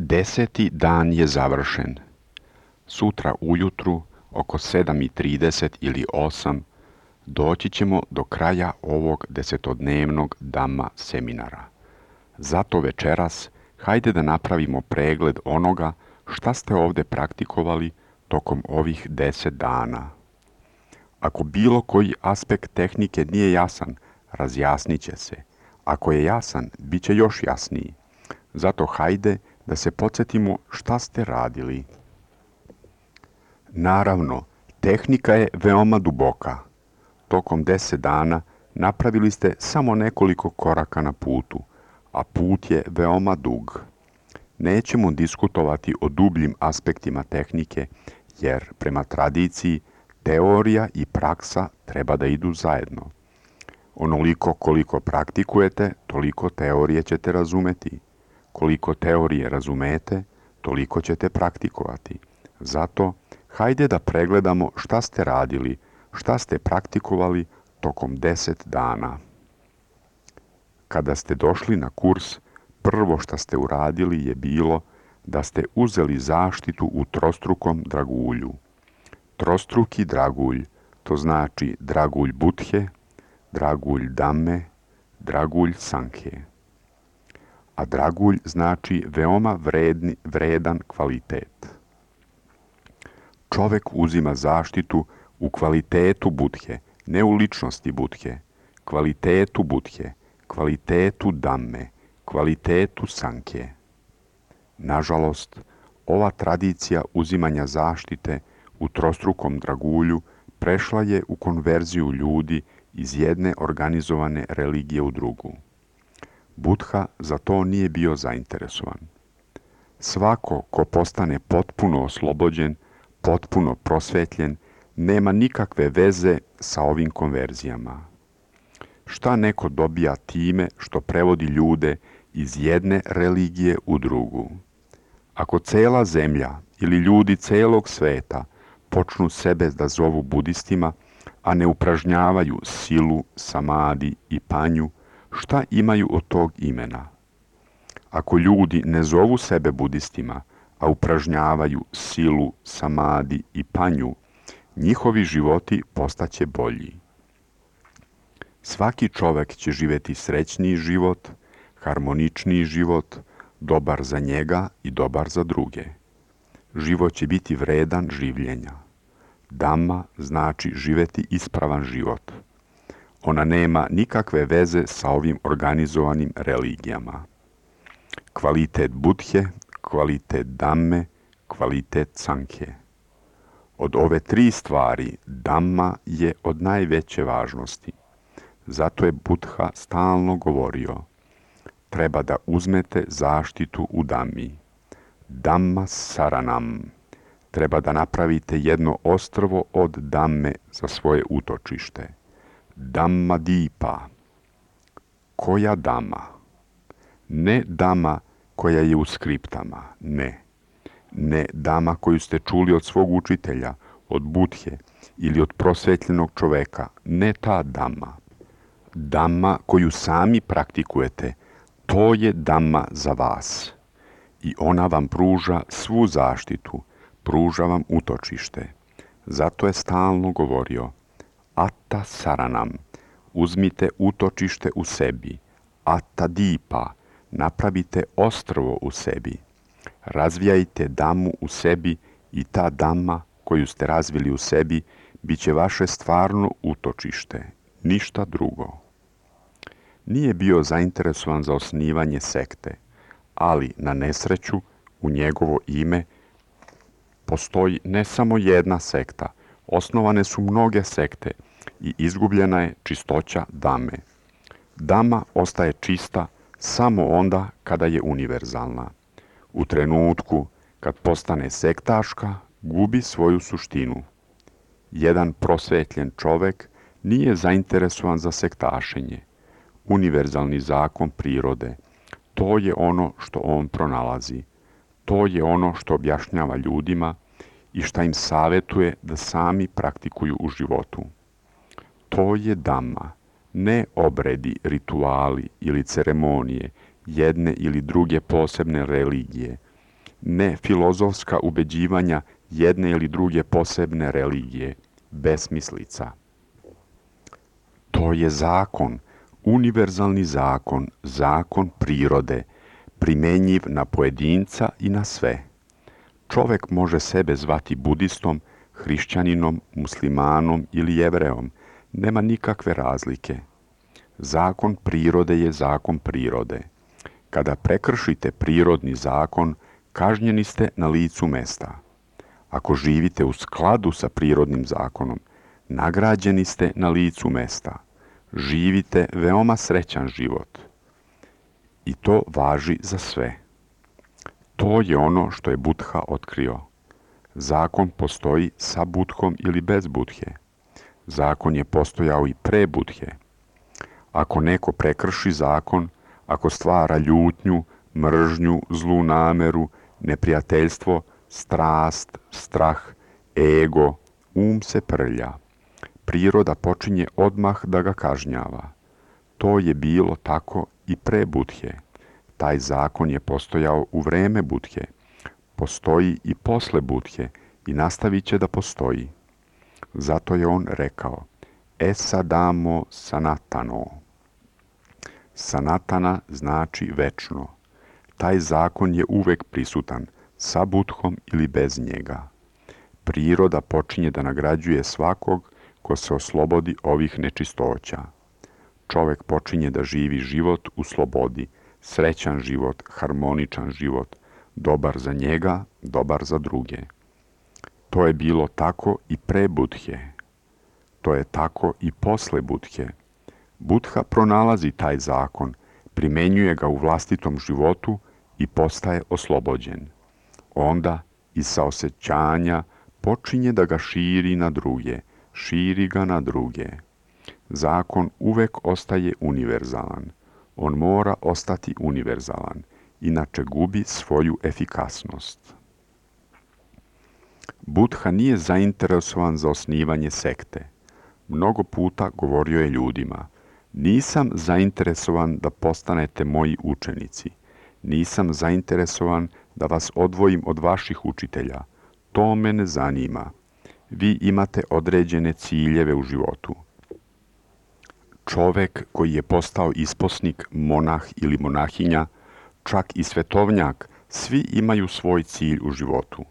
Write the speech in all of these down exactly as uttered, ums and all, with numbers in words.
Deseti dan je završen. Sutra ujutru oko sedam i trideset ili osam doći ćemo do kraja ovog desetodnevnog Dhamma seminara. Zato večeras hajde da napravimo pregled onoga šta ste ovdje praktikovali tokom ovih deset dana. Ako bilo koji aspekt tehnike nije jasan, razjasnit će se. Ako je jasan, bit će još jasniji. Zato hajde da se podsjetimo šta ste radili. Naravno, tehnika je veoma duboka. Tokom deset dana napravili ste samo nekoliko koraka na putu, a put je veoma dug. Nećemo diskutovati o dubljim aspektima tehnike, jer prema tradiciji teorija i praksa treba da idu zajedno. Onoliko koliko praktikujete, toliko teorije ćete razumeti. Koliko teorije razumete, toliko ćete praktikovati. Zato, hajde da pregledamo šta ste radili, šta ste praktikovali tokom deset dana. Kada ste došli na kurs, prvo što ste uradili je bilo da ste uzeli zaštitu u trostrukom dragulju. Trostruki dragulj, to znači dragulj Budhe, dragulj Dhamme, dragulj Sanke. A dragulj znači veoma vredni, vredan kvalitet. Čovek uzima zaštitu u kvalitetu Budhe, ne u ličnosti Budhe, kvalitetu Budhe, kvalitetu Dhamme, kvalitetu Sanke. Nažalost, ova tradicija uzimanja zaštite u trostrukom dragulju prešla je u konverziju ljudi iz jedne organizovane religije u drugu. Budha za to nije bio zainteresovan. Svako ko postane potpuno oslobođen, potpuno prosvetljen, nema nikakve veze sa ovim konverzijama. Šta neko dobija time što prevodi ljude iz jedne religije u drugu? Ako cela zemlja ili ljudi celog sveta počnu sebe da zovu budistima, a ne upražnjavaju silu, samadi i panju, šta imaju od tog imena? Ako ljudi ne zovu sebe budistima, a upražnjavaju silu, samadi i panju, njihovi životi postaće bolji. Svaki čovek će živjeti srećniji život, harmoničniji život, dobar za njega i dobar za druge. Život će biti vredan življenja. Dhamma znači živjeti ispravan život. Ona nema nikakve veze sa ovim organizovanim religijama. Kvalitet Budhe, kvalitet Dhamme, kvalitet Sanke. Od ove tri stvari Dhamma je od najveće važnosti. Zato je Budha stalno govorio: treba da uzmete zaštitu u Dhammi. Dhamma saranam. Treba da napravite jedno ostrvo od Dhamme za svoje utočište. Dhamma dipa. Koja Dhamma? Ne Dhamma koja je u skriptama, ne. Ne Dhamma koju ste čuli od svog učitelja, od Budhe ili od prosvetljenog čoveka, ne ta Dhamma. Dhamma koju sami praktikujete, to je Dhamma za vas. I ona vam pruža svu zaštitu, pruža vam utočište. Zato je stalno govorio: Atta saranam, uzmite utočište u sebi. Atta dipa, napravite ostrvo u sebi. Razvijajte Dhammu u sebi i ta Dhamma koju ste razvili u sebi bit će vaše stvarno utočište, ništa drugo. Nije bio zainteresovan za osnivanje sekte, ali na nesreću u njegovo ime postoji ne samo jedna sekta, osnovane su mnoge sekte i izgubljena je čistoća Dhamme. Dhamma ostaje čista samo onda kada je univerzalna. U trenutku kad postane sektaška, gubi svoju suštinu. Jedan prosvetljen čovek nije zainteresovan za sektašenje. Univerzalni zakon prirode, to je ono što on pronalazi. To je ono što objašnjava ljudima i šta im savjetuje da sami praktikuju u životu. To je Dhamma, ne obredi, rituali ili ceremonije jedne ili druge posebne religije. ne filozofska ubeđivanja jedne ili druge posebne religije, besmislica. To je zakon, univerzalni zakon, zakon prirode, primenjiv na pojedinca i na sve. Čovek može sebe zvati budistom, hrišćaninom, muslimanom ili jevreom, nema nikakve razlike. Zakon prirode je zakon prirode. Kada prekršite prirodni zakon, kažnjeni ste na licu mesta. Ako živite u skladu sa prirodnim zakonom, nagrađeni ste na licu mesta. Živite veoma srećan život. I to važi za sve. To je ono što je Buddha otkrio. Zakon postoji sa Budhom ili bez Budhe. Zakon je postojao i pre Budhe. Ako neko prekrši zakon, ako stvara ljutnju, mržnju, zlu nameru, neprijateljstvo, strast, strah, ego, um se prlja. Priroda počinje odmah da ga kažnjava. To je bilo tako i pre Budhe. Taj zakon je postojao u vreme Budhe. Postoji i posle Budhe i nastavit će da postoji. Zato je on rekao, Esa damo sanatano. Sanatana znači večno. Taj zakon je uvek prisutan, sa Budhom ili bez njega. Priroda počinje da nagrađuje svakog ko se oslobodi ovih nečistoća. Čovek počinje da živi život u slobodi, srećan život, harmoničan život, dobar za njega, dobar za druge. To je bilo tako i pre Budhe. To je tako i posle Budhe. Buddha pronalazi taj zakon, primenjuje ga u vlastitom životu i postaje oslobođen. Onda iz saosećanja počinje da ga širi na druge, širi ga na druge. Zakon uvek ostaje univerzalan. On mora ostati univerzalan, inače gubi svoju efikasnost. Buddha nije zainteresovan za osnivanje sekte. Mnogo puta govorio je ljudima, nisam zainteresovan da postanete moji učenici. Nisam zainteresovan da vas odvojim od vaših učitelja. To me ne zanima. Vi imate određene ciljeve u životu. Čovek koji je postao isposnik, monah ili monahinja, čak i svetovnjak, svi imaju svoj cilj u životu.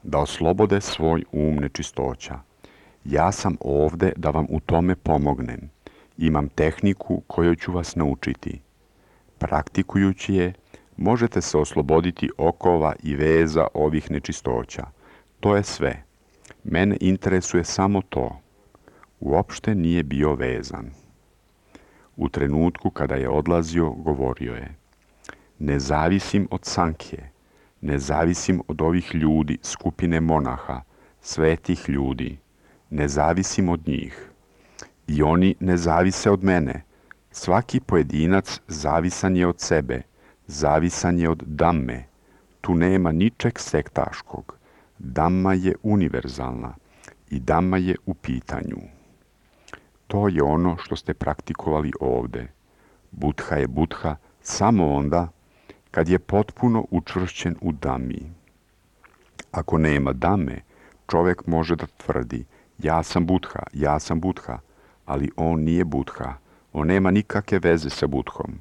Da oslobode svoj um nečistoća. Ja sam ovde da vam u tome pomognem. Imam tehniku kojoj ću vas naučiti. Praktikujući je, možete se osloboditi okova i veza ovih nečistoća. To je sve. Mene interesuje samo to. Uopšte nije bio vezan. U trenutku kada je odlazio, govorio je, ne zavisim od Sankhje, ne zavisim od ovih ljudi, skupine monaha, svetih ljudi, ne zavisim od njih. I oni ne zavise od mene. Svaki pojedinac zavisan je od sebe, zavisan je od Damme. Tu nema ničeg sektaškog. Damma je univerzalna i Damma je u pitanju. To je ono što ste praktikovali ovde. Buddha je Buddha samo onda kad je potpuno učvršćen u Dammi. Ako nema Damme, čovek može da tvrdi ja sam Buddha, ja sam Buddha, ali on nije Buddha, on nema nikakve veze sa Budhom.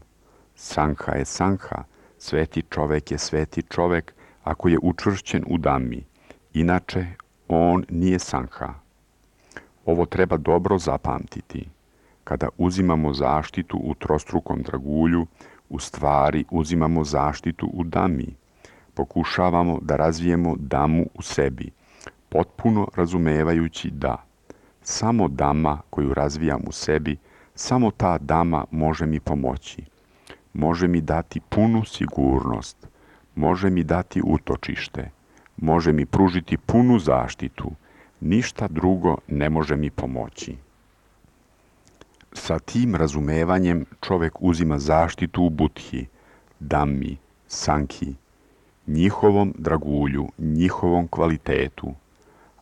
Sankha je Sankha, sveti čovek je sveti čovek ako je učvršćen u Dammi, inače on nije Sankha. Ovo treba dobro zapamtiti. Kada uzimamo zaštitu u trostrukom dragulju, u stvari uzimamo zaštitu u Dammi. Pokušavamo da razvijemo Dammu u sebi, potpuno razumevajući da samo Damma koju razvijam u sebi, samo ta Damma može mi pomoći. Može mi dati punu sigurnost, može mi dati utočište, može mi pružiti punu zaštitu, ništa drugo ne može mi pomoći. Sa tim razumevanjem čovek uzima zaštitu u Budhi, Dammi, Sankhi, njihovom dragulju, njihovom kvalitetu,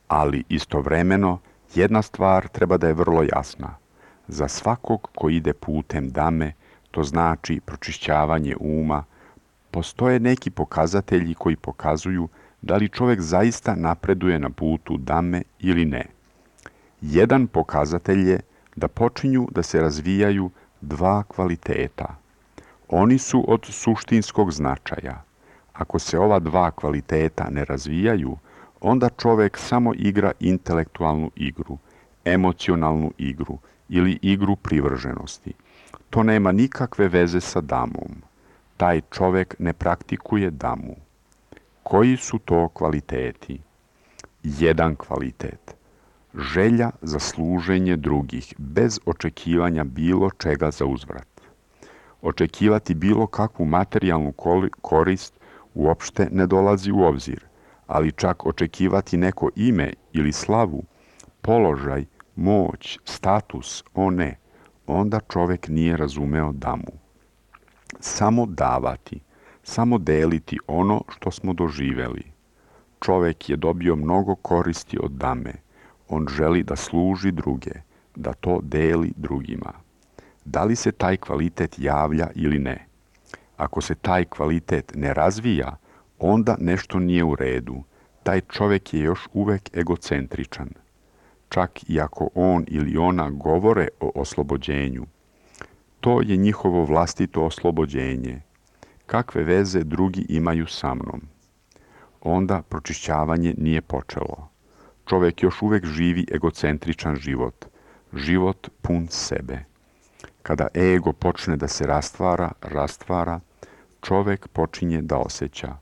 ali istovremeno jedna stvar treba da je vrlo jasna. Za svakog ko ide putem Dame, to znači pročišćavanje uma, postoje neki pokazatelji koji pokazuju da li čovjek zaista napreduje na putu dame ili ne. Jedan pokazatelj je da počinju da se razvijaju dva kvaliteta. Oni su od suštinskog značaja. Ako se ova dva kvaliteta ne razvijaju, onda čovjek samo igra intelektualnu igru, emocionalnu igru ili igru privrženosti. To nema nikakve veze sa damom. Taj čovjek ne praktikuje damu. Koji su to kvaliteti? Jedan kvalitet. Želja za služenje drugih, bez očekivanja bilo čega za uzvrat. Očekivati bilo kakvu materijalnu korist uopšte ne dolazi u obzir, ali čak očekivati neko ime ili slavu, položaj, moć, status, o ne, onda čovjek nije razumeo damu. Samo davati, samo deliti ono što smo doživeli. Čovjek je dobio mnogo koristi od dame. On želi da služi druge, da to deli drugima. Da li se taj kvalitet javlja ili ne? Ako se taj kvalitet ne razvija, onda nešto nije u redu. Taj čovjek je još uvek egocentričan. Čak i ako on ili ona govore o oslobođenju, to je njihovo vlastito oslobođenje. Kakve veze drugi imaju sa mnom? Onda pročišćavanje nije počelo. Čovjek još uvek živi egocentričan život, život pun sebe. Kada ego počne da se rastvara, rastvara, čovjek počinje da osjeća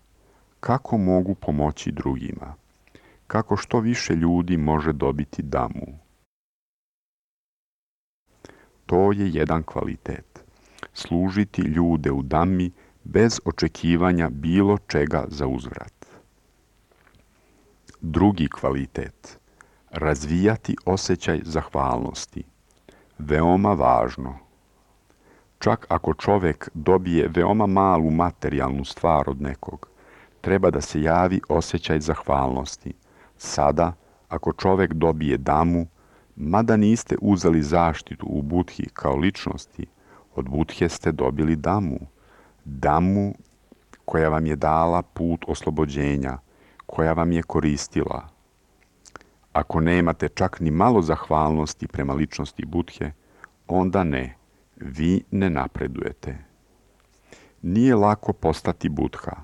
kako mogu pomoći drugima, kako što više ljudi može dobiti damu. To je jedan kvalitet. Služiti ljude u dami bez očekivanja bilo čega za uzvrat. Drugi kvalitet. Razvijati osjećaj zahvalnosti. Veoma važno. Čak ako čovjek dobije veoma malu materijalnu stvar od nekog, treba da se javi osjećaj zahvalnosti. Sada, ako čovjek dobije damu, mada niste uzeli zaštitu u Budhi kao ličnosti, od Budhe ste dobili damu. Damu koja vam je dala put oslobođenja, koja vam je koristila. Ako nemate čak ni malo zahvalnosti prema ličnosti Budhe, onda ne, vi ne napredujete. Nije lako postati Budha.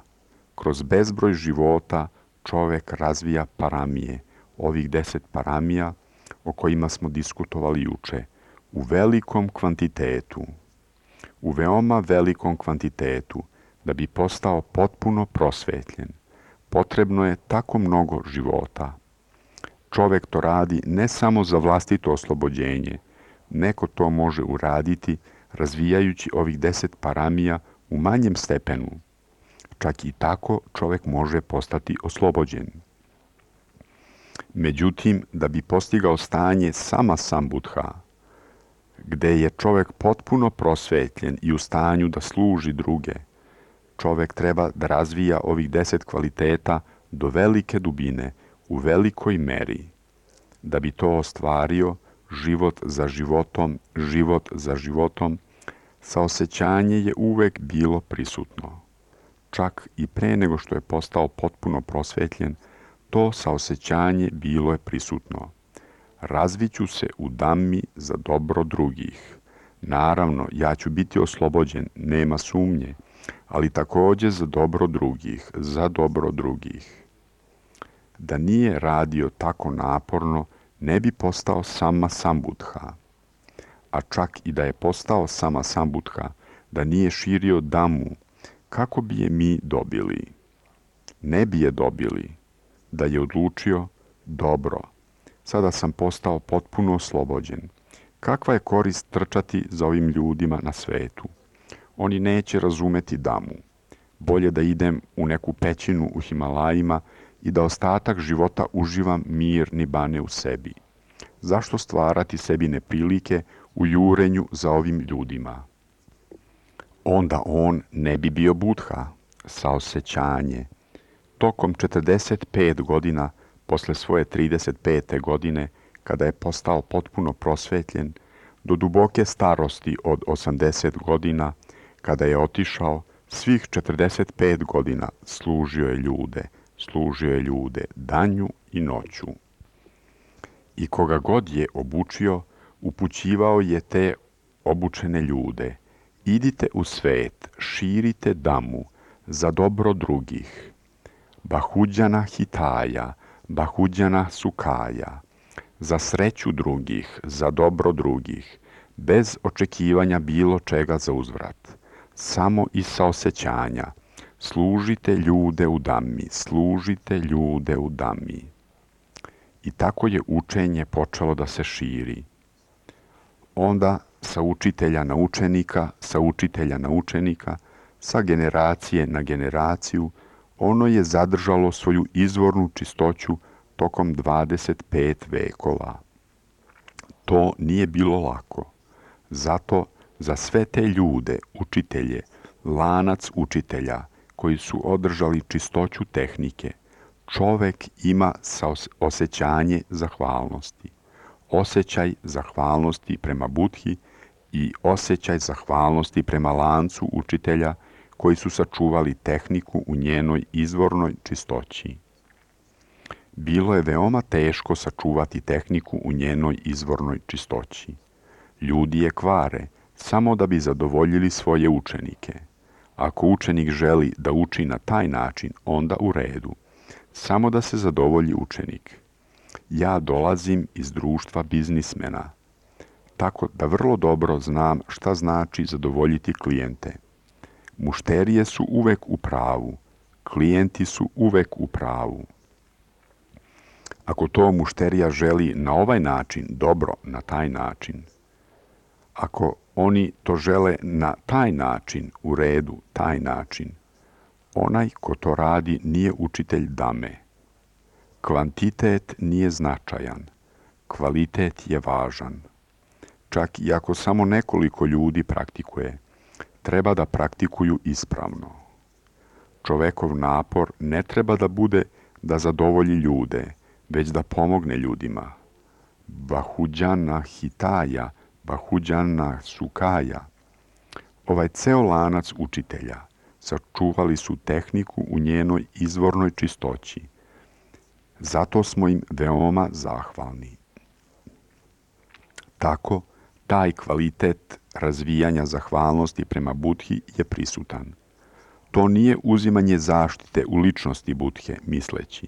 Kroz bezbroj života čovjek razvija paramije, ovih deset paramija o kojima smo diskutovali juče, u velikom kvantitetu. U veoma velikom kvantitetu, da bi postao potpuno prosvetljen. Potrebno je tako mnogo života. Čovjek to radi ne samo za vlastito oslobođenje, neko to može uraditi razvijajući ovih deset paramija u manjem stepenu. Čak i tako čovjek može postati oslobođen. Međutim, da bi postigao stanje sama Sambudha, gde je čovjek potpuno prosvetljen i u stanju da služi druge, čovjek treba da razvija ovih deset kvaliteta do velike dubine, u velikoj meri. Da bi to ostvario, život za životom, život za životom, saosećanje je uvek bilo prisutno. Čak i pre nego što je postao potpuno prosvetljen, to saosećanje bilo je prisutno. Razviću se u dami za dobro drugih. Naravno, ja ću biti oslobođen, nema sumnje, ali također za dobro drugih, za dobro drugih. Da nije radio tako naporno, ne bi postao sama Sambudha. A čak i da je postao sama Sambudha, da nije širio damu, kako bi je mi dobili? Ne bi je dobili. Da je odlučio, dobro, sada sam postao potpuno oslobođen. Kakva je korist trčati za ovim ljudima na svetu? Oni neće razumeti damu. Bolje da idem u neku pećinu u Himalajima i da ostatak života uživam mir nibane u sebi. Zašto stvarati sebi neprilike u jurenju za ovim ljudima? Onda on ne bi bio Budha, saosećanje. Tokom četrdeset pet godina, posle svoje trideset pete godine, kada je postao potpuno prosvetljen, do duboke starosti od osamdeset godina, kada je otišao, Svih četrdeset pet godina služio je ljude, služio je ljude danju i noću. I koga god je obučio, upućivao je te obučene ljude. Idite u svet, širite damu za dobro drugih. Bahuđana Hitaja, Bahuđana Sukaja, za sreću drugih, za dobro drugih, bez očekivanja bilo čega za uzvrat, samo iz saosećanja. Služite ljude u dami, služite ljude u dami. I tako je učenje počelo da se širi. Onda sa učitelja na učenika, sa učitelja na učenika, sa generacije na generaciju, ono je zadržalo svoju izvornu čistoću tokom dvadeset pet vekova. To nije bilo lako. Zato za sve te ljude, učitelje, lanac učitelja koji su održali čistoću tehnike, čovek ima osjećanje zahvalnosti. Osjećaj zahvalnosti prema Budhi i osjećaj zahvalnosti prema lancu učitelja koji su sačuvali tehniku u njenoj izvornoj čistoći. Bilo je veoma teško sačuvati tehniku u njenoj izvornoj čistoći. Ljudi je kvare samo da bi zadovoljili svoje učenike. Ako učenik želi da uči na taj način, onda u redu. Samo da se zadovolji učenik. Ja dolazim iz društva biznismena, tako da vrlo dobro znam šta znači zadovoljiti klijente. Mušterije su uvek u pravu, klijenti su uvek u pravu. Ako to mušterija želi na ovaj način, dobro, na taj način. Ako oni to žele na taj način, u redu, taj način, onaj ko to radi nije učitelj dame. Kvantitet nije značajan, kvalitet je važan. Čak i ako samo nekoliko ljudi praktikuje, treba da praktikuju ispravno. Čovekov napor ne treba da bude da zadovolji ljude, već da pomogne ljudima. Bahuđana Hitaja, Bahuđana Sukaja. Ovaj ceo lanac učitelja sačuvali su tehniku u njenoj izvornoj čistoći. Zato smo im veoma zahvalni. Tako, taj kvalitet razvijanja zahvalnosti prema Budhi je prisutan. To nije uzimanje zaštite u ličnosti Budhe, misleći,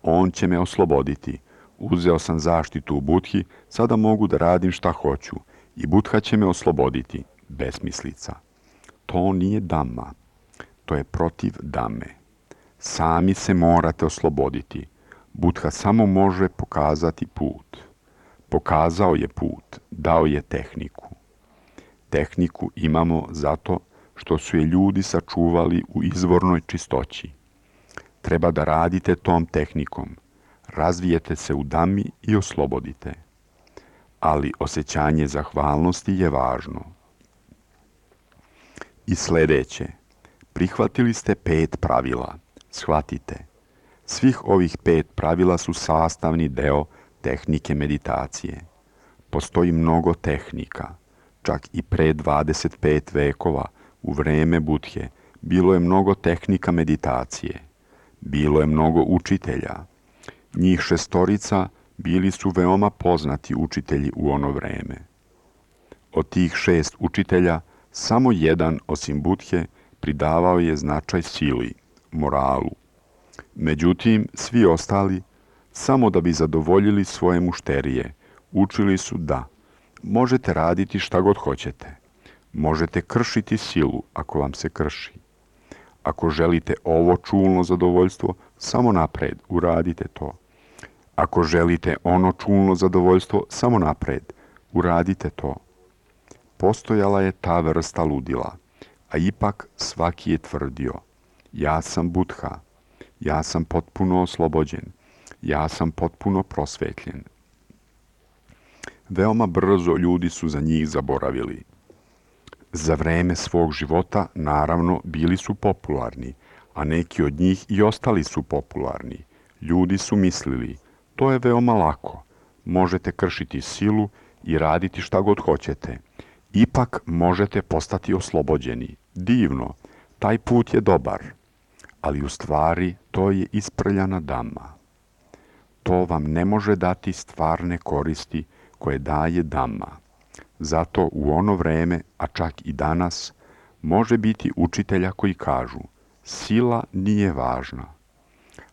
on će me osloboditi, uzeo sam zaštitu u Budhi, sada mogu da radim šta hoću i Budha će me osloboditi, besmislica. To nije dhamma, to je protiv dame. Sami se morate osloboditi. Budha samo može pokazati put. Pokazao je put, dao je tehniku. Tehniku imamo zato što su je ljudi sačuvali u izvornoj čistoći. Treba da radite tom tehnikom. Razvijete se u dami i oslobodite. Ali osjećanje zahvalnosti je važno. I sljedeće. Prihvatili ste pet pravila. Shvatite. Svih ovih pet pravila su sastavni deo tehnike meditacije. Postoji mnogo tehnika. Čak i pre dvadeset pet vekova, u vreme Budhe, bilo je mnogo tehnika meditacije. Bilo je mnogo učitelja. Njih šestorica bili su veoma poznati učitelji u ono vreme. Od tih šest učitelja, samo jedan, osim Budhe, pridavao je značaj sili, moralu. Međutim, svi ostali, samo da bi zadovoljili svoje mušterije, učili su da možete raditi šta god hoćete. Možete kršiti silu ako vam se krši. Ako želite ovo čulno zadovoljstvo, samo napred, uradite to. Ako želite ono čulno zadovoljstvo, samo napred, uradite to. Postojala je ta vrsta ludila, a ipak svaki je tvrdio, ja sam Budha, ja sam potpuno oslobođen, ja sam potpuno prosvetljen. Veoma brzo ljudi su za njih zaboravili. Za vreme svog života, naravno, bili su popularni, a neki od njih i ostali su popularni. Ljudi su mislili, to je veoma lako, možete kršiti silu i raditi šta god hoćete. Ipak možete postati oslobođeni. Divno, Taj put je dobar, ali u stvari to je isprljana dama. To vam ne može dati stvarne koristi koje daje dama. Zato u ono vreme, a čak i danas, može biti učitelja koji kažu sila nije važna.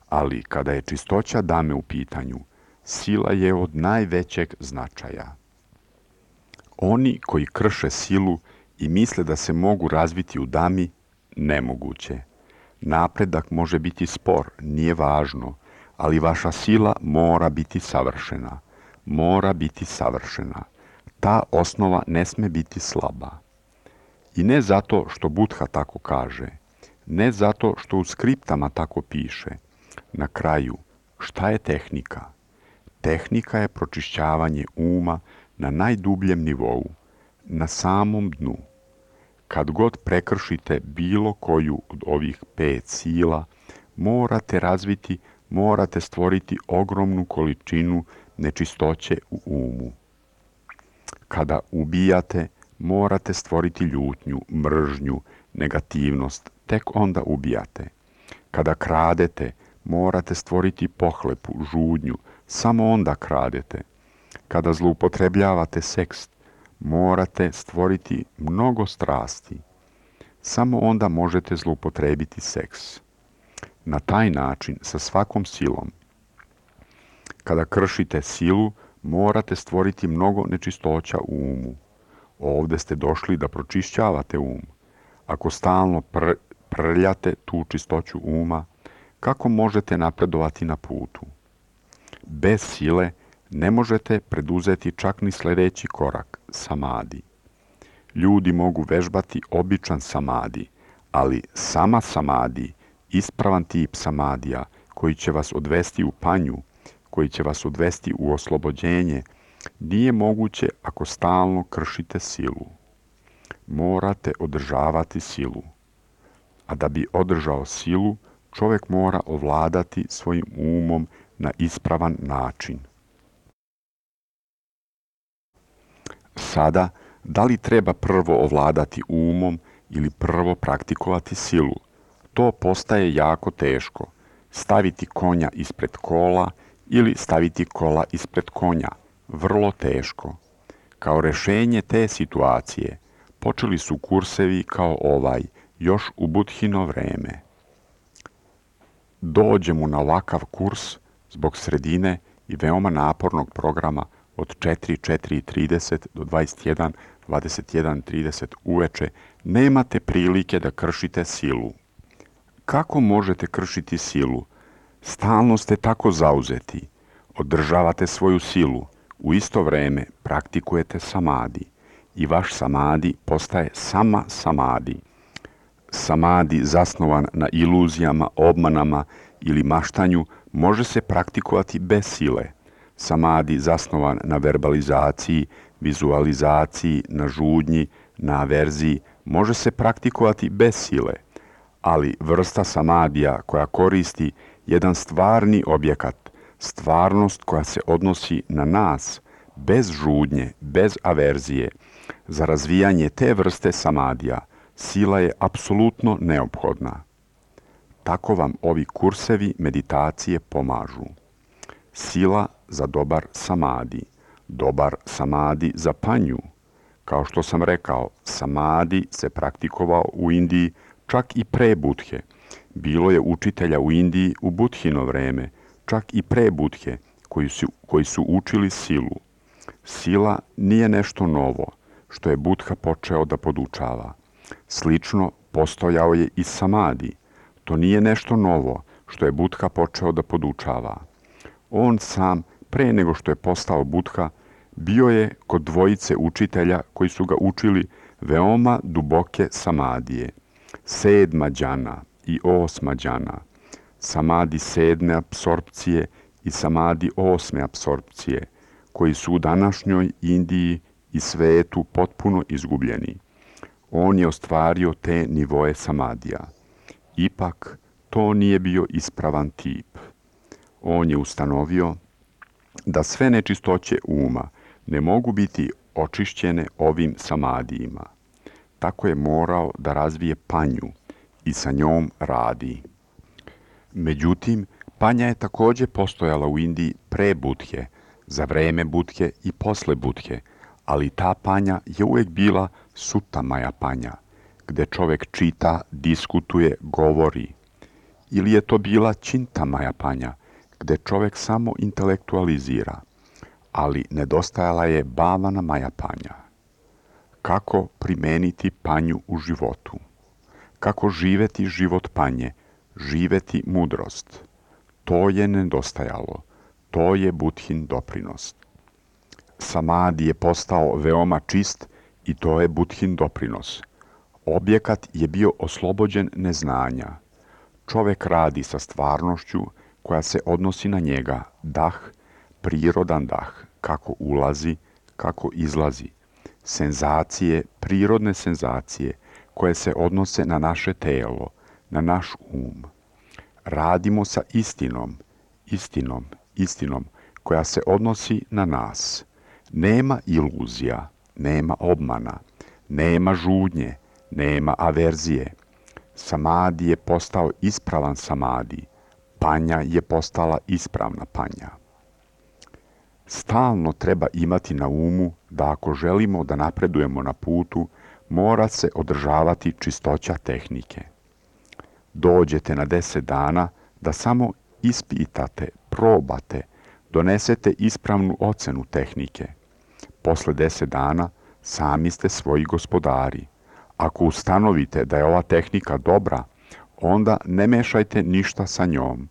Ali kada je čistoća dame u pitanju, sila je od najvećeg značaja. Oni koji krše silu i misle da se mogu razviti u dami, nemoguće. Napredak može biti spor, nije važno, ali vaša sila mora biti savršena. Mora biti savršena. Ta osnova ne sme biti slaba. I ne zato što Buddha tako kaže, ne zato što u skriptama tako piše. Na kraju, šta je tehnika? Tehnika je pročišćavanje uma na najdubljem nivou, na samom dnu. Kad god prekršite bilo koju od ovih pet sila, morate razviti, morate stvoriti ogromnu količinu nečistoće u umu. Kada ubijate, morate stvoriti ljutnju, mržnju, negativnost, tek onda ubijate. Kada kradete, morate stvoriti pohlepu, žudnju, samo onda kradete. Kada zloupotrebljavate seks, morate stvoriti mnogo strasti. Samo onda možete zloupotrebiti seks. Na taj način, sa svakom silom. Kada kršite silu, morate stvoriti mnogo nečistoća u umu. Ovde ste došli da pročišćavate um. Ako stalno pr- prljate tu čistoću uma, kako možete napredovati na putu? Bez sile ne možete preduzeti čak ni sljedeći korak, samadi. Ljudi mogu vežbati običan samadi, ali sama samadi, ispravan tip samadija koji će vas odvesti u panju, koji će vas odvesti u oslobođenje, nije moguće ako stalno kršite silu. Morate održavati silu. A da bi održao silu, čovjek mora ovladati svojim umom na ispravan način. Sada, da li treba prvo ovladati umom ili prvo praktikovati silu? To postaje jako teško. Staviti konja ispred kola ili staviti kola ispred konja. Vrlo teško. Kao rešenje te situacije počeli su kursevi kao ovaj, još u Budhino vreme. Dođe mu na ovakav kurs zbog sredine i veoma napornog programa od četiri, četiri trideset do dvadeset jedan, dvadeset jedan trideset uveče, nemate prilike da kršite silu. Kako možete kršiti silu? Stalno ste tako zauzeti. Održavate svoju silu. U isto vreme praktikujete samadi. I vaš samadi postaje sama samadi. Samadi zasnovan na iluzijama, obmanama ili maštanju može se praktikovati bez sile. Samadi zasnovan na verbalizaciji, vizualizaciji, na žudnji, na averziji može se praktikovati bez sile. Ali vrsta samadija koja koristi jedan stvarni objekat, stvarnost koja se odnosi na nas, bez žudnje, bez averzije, za razvijanje te vrste samadija, sila je apsolutno neophodna. Tako vam ovi kursevi meditacije pomažu. Sila za dobar samadi, dobar samadi za panju. Kao što sam rekao, samadi se praktikovao u Indiji čak i pre Budhe. Bilo je učitelja u Indiji u Budhino vreme, čak i pre Budhe, koji su, koji su učili silu. Sila nije nešto novo, što je Buddha počeo da podučava. Slično postojao je i samadi. To nije nešto novo, što je Buddha počeo da podučava. On sam, pre nego što je postao Buddha, bio je kod dvojice učitelja koji su ga učili veoma duboke samadije. Sedma džana i osma džana. Samadi sedme apsorpcije i samadi osme apsorpcije, koji su u današnjoj Indiji i svetu potpuno izgubljeni. On je ostvario te nivoje samadija. Ipak, to nije bio ispravan tip. On je ustanovio da sve nečistoće uma ne mogu biti očišćene ovim samadijima. Tako je morao da razvije panju, i sa njom radi. Međutim, panja je također postojala u Indiji pre Budhe, za vreme Budhe i posle Budhe, ali ta panja je uvijek bila Sutamaja panja, gdje čovjek čita, diskutuje, govori. Ili je to bila Čintamaja panja, gdje čovjek samo intelektualizira, ali nedostajala je Bhavana Maja panja. Kako primeniti panju u životu? Kako živjeti život panje? Živjeti mudrost. To je nedostajalo. To je Budhin doprinos. Samadi je postao veoma čist i to je Budhin doprinos. Objekat je bio oslobođen neznanja. Čovjek radi sa stvarnošću koja se odnosi na njega, dah, prirodan dah, kako ulazi, kako izlazi. Senzacije, prirodne senzacije koje se odnose na naše telo, na naš um. Radimo sa istinom, istinom, istinom koja se odnosi na nas. Nema iluzija, nema obmana, nema žudnje, nema averzije. Samadi je postao ispravan samadi, panja je postala ispravna panja. Stalno treba imati na umu da ako želimo da napredujemo na putu, mora se održavati čistoća tehnike. Dođete na deset dana da samo ispitate, probate, donesete ispravnu ocenu tehnike. Posle deset dana sami ste svoji gospodari. Ako ustanovite da je ova tehnika dobra, onda ne mešajte ništa sa njom.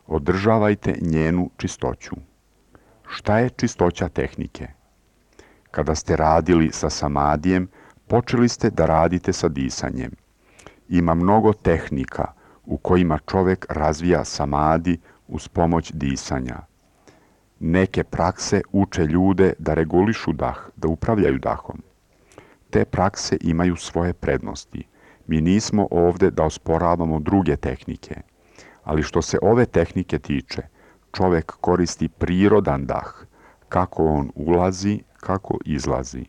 Održavajte njenu čistoću. Šta je čistoća tehnike? Kada ste radili sa samadijem, počeli ste da radite sa disanjem. Ima mnogo tehnika u kojima čovjek razvija samadi uz pomoć disanja. Neke prakse uče ljude da regulišu dah, da upravljaju dahom. Te prakse imaju svoje prednosti. Mi nismo ovdje da osporavamo druge tehnike, ali što se ove tehnike tiče, čovjek koristi prirodan dah, kako on ulazi, kako izlazi.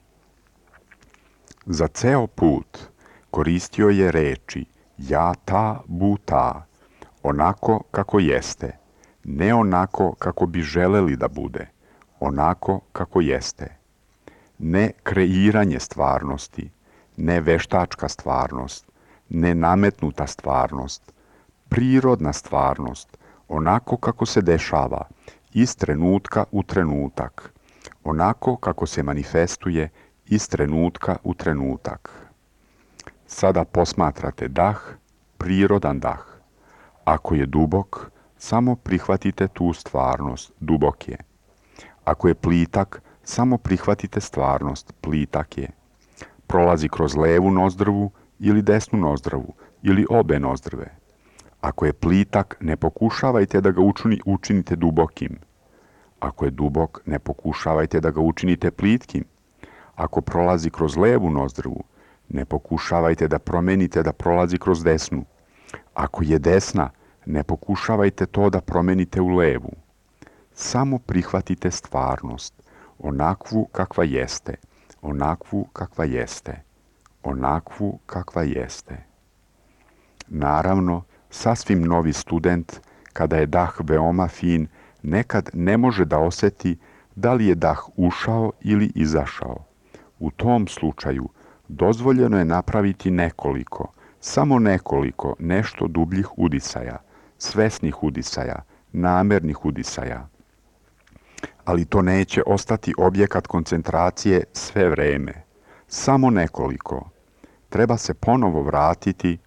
Za ceo put koristio je reči ja ta, bu ta, onako kako jeste, ne onako kako bi želeli da bude, onako kako jeste. Ne kreiranje stvarnosti, ne veštačka stvarnost, ne nametnuta stvarnost, prirodna stvarnost, onako kako se dešava, iz trenutka u trenutak, onako kako se manifestuje iz trenutka u trenutak. Sada posmatrate dah, prirodan dah. Ako je dubok, samo prihvatite tu stvarnost, dubok je. Ako je plitak, samo prihvatite stvarnost, plitak je. Prolazi kroz levu nozdrvu ili desnu nozdrvu ili obe nozdrve. Ako je plitak, ne pokušavajte da ga učini, učinite dubokim. Ako je dubok, ne pokušavajte da ga učinite plitkim. Ako prolazi kroz levu nozdrvu, ne pokušavajte da promenite da prolazi kroz desnu. Ako je desna, ne pokušavajte to da promenite u levu. Samo prihvatite stvarnost, onakvu kakva jeste, onakvu kakva jeste, onakvu kakva jeste. Naravno, sasvim novi student, kada je dah veoma fin, nekad ne može da osjeti da li je dah ušao ili izašao. U tom slučaju dozvoljeno je napraviti nekoliko, samo nekoliko nešto dubljih udisaja, svesnih udisaja, namernih udisaja. Ali to neće ostati objekat koncentracije sve vreme. Samo nekoliko. Treba se ponovo vratiti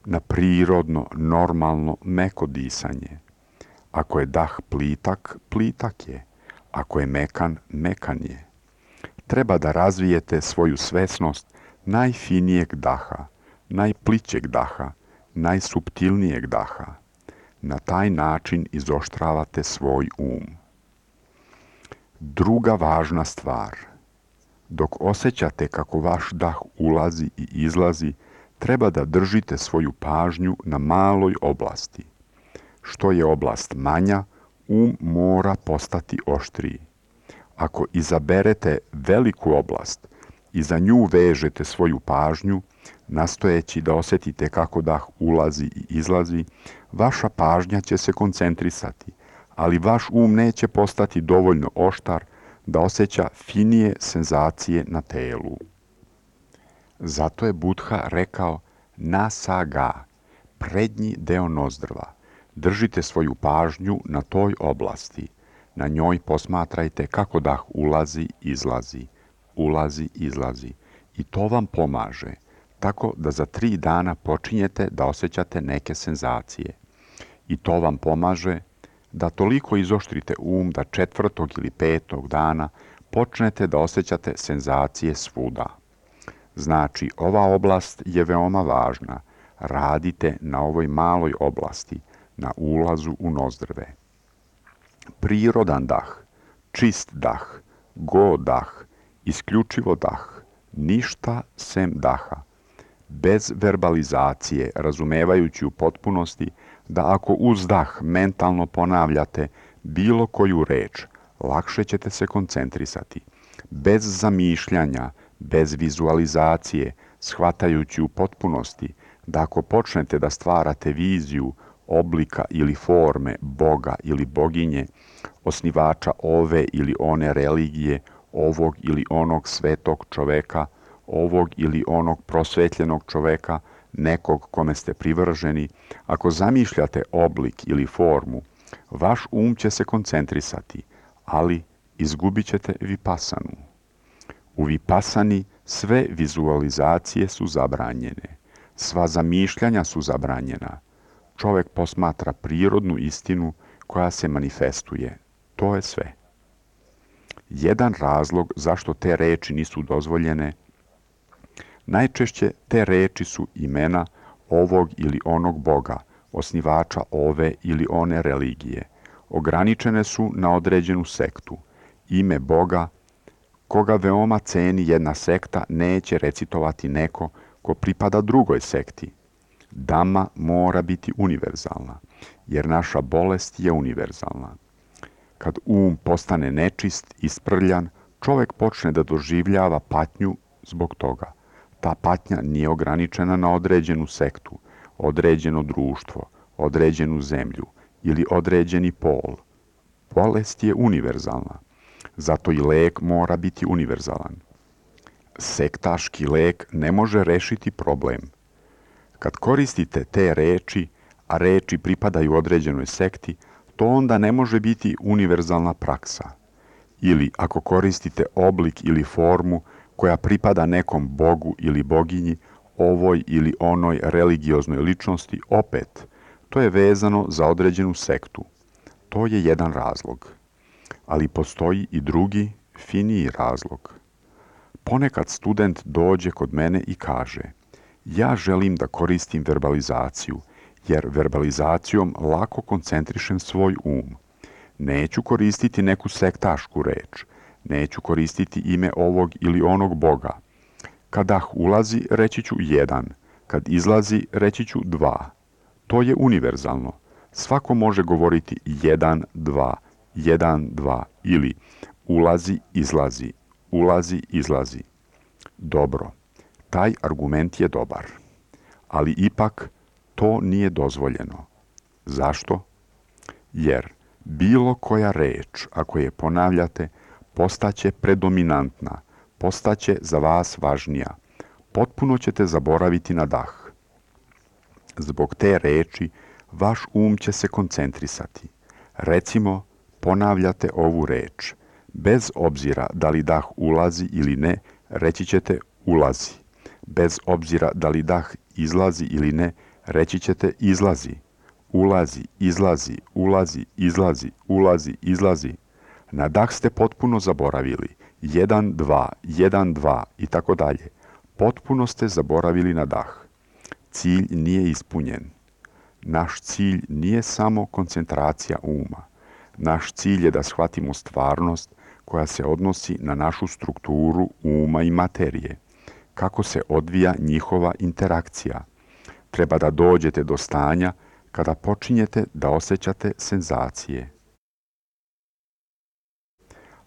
na prirodno, normalno, meko disanje. Ako je dah plitak, plitak je. Ako je mekan, mekan je. Treba da razvijete svoju svesnost najfinijeg daha, najplićeg daha, najsuptilnijeg daha. Na taj način izoštravate svoj um. Druga važna stvar. Dok osjećate kako vaš dah ulazi i izlazi, treba da držite svoju pažnju na maloj oblasti. Što je oblast manja, um mora postati oštriji. Ako izaberete veliku oblast i za nju vežete svoju pažnju, Nastojeći da osjetite kako dah ulazi i izlazi, vaša pažnja će se koncentrisati, ali vaš um neće postati dovoljno oštar da osjeća finije senzacije na telu. Zato je Buddha rekao nasaga, prednji deo nozdrva. Držite svoju pažnju na toj oblasti. Na njoj posmatrajte kako dah ulazi, izlazi, ulazi, izlazi. I to vam pomaže, tako da za tri dana počinjete da osjećate neke senzacije. I to vam pomaže da toliko izoštrite um da četvrtog ili petog dana počnete da osjećate senzacije svuda. Znači, ova oblast je veoma važna. Radite na ovoj maloj oblasti, na ulazu u nozdrve. Prirodan dah, čist dah, go dah, isključivo dah, ništa sem daha. Bez verbalizacije, razumevajući u potpunosti da ako uz dah mentalno ponavljate bilo koju reč, lakše ćete se koncentrisati. Bez zamišljanja, bez vizualizacije, shvatajući u potpunosti da ako počnete da stvarate viziju oblika ili forme Boga ili boginje, osnivača ove ili one religije, ovog ili onog svetog čoveka, ovog ili onog prosvetljenog čoveka, nekog kome ste privrženi, ako zamišljate oblik ili formu, vaš um će se koncentrisati, ali izgubit ćete vipasanu. U vipasani sve vizualizacije su zabranjene, sva zamišljanja su zabranjena. Čovek posmatra prirodnu istinu koja se manifestuje. To je sve. Jedan razlog zašto te reči nisu dozvoljene, najčešće te reči su imena ovog ili onog Boga, osnivača ove ili one religije. Ograničene su na određenu sektu. Ime Boga, koga veoma ceni jedna sekta, neće recitovati neko ko pripada drugoj sekti. Dama mora biti univerzalna, jer naša bolest je univerzalna. Kad um postane nečist, isprljan, čovek počne da doživljava patnju zbog toga. Ta patnja nije ograničena na određenu sektu, određeno društvo, određenu zemlju ili određeni pol. Bolest je univerzalna, zato i lek mora biti univerzalan. Sektaški lek ne može rešiti problem. Kad koristite te reči, a reči pripadaju određenoj sekti, to onda ne može biti univerzalna praksa. Ili ako koristite oblik ili formu koja pripada nekom bogu ili boginji, ovoj ili onoj religioznoj ličnosti, opet, to je vezano za određenu sektu. To je jedan razlog. Ali postoji i drugi, finiji razlog. Ponekad student dođe kod mene i kaže: ja želim da koristim verbalizaciju, jer verbalizacijom lako koncentrišem svoj um. Neću koristiti neku sektašku reč, neću koristiti ime ovog ili onog Boga. Kad dah ulazi, reći ću jedan, kad izlazi, reći ću dva. To je univerzalno. Svako može govoriti jedan, dva, jedan, dva ili ulazi, izlazi, ulazi, izlazi. Dobro, taj argument je dobar, ali ipak to nije dozvoljeno. Zašto? Jer bilo koja reč, ako je ponavljate, postaće predominantna, postaće za vas važnija. Potpuno ćete zaboraviti na dah. Zbog te reči vaš um će se koncentrisati. Recimo, ponavljate ovu reč. Bez obzira da li dah ulazi ili ne, reći ćete ulazi. Bez obzira da li dah izlazi ili ne, reći ćete izlazi. Ulazi, izlazi, ulazi, izlazi, ulazi, izlazi. Na dah ste potpuno zaboravili. Jedan, dva, jedan, dva i tako dalje. Potpuno ste zaboravili na dah. Cilj nije ispunjen. Naš cilj nije samo koncentracija uma. Naš cilj je da shvatimo stvarnost koja se odnosi na našu strukturu uma i materije. Kako se odvija njihova interakcija. Treba da dođete do stanja kada počinjete da osjećate senzacije.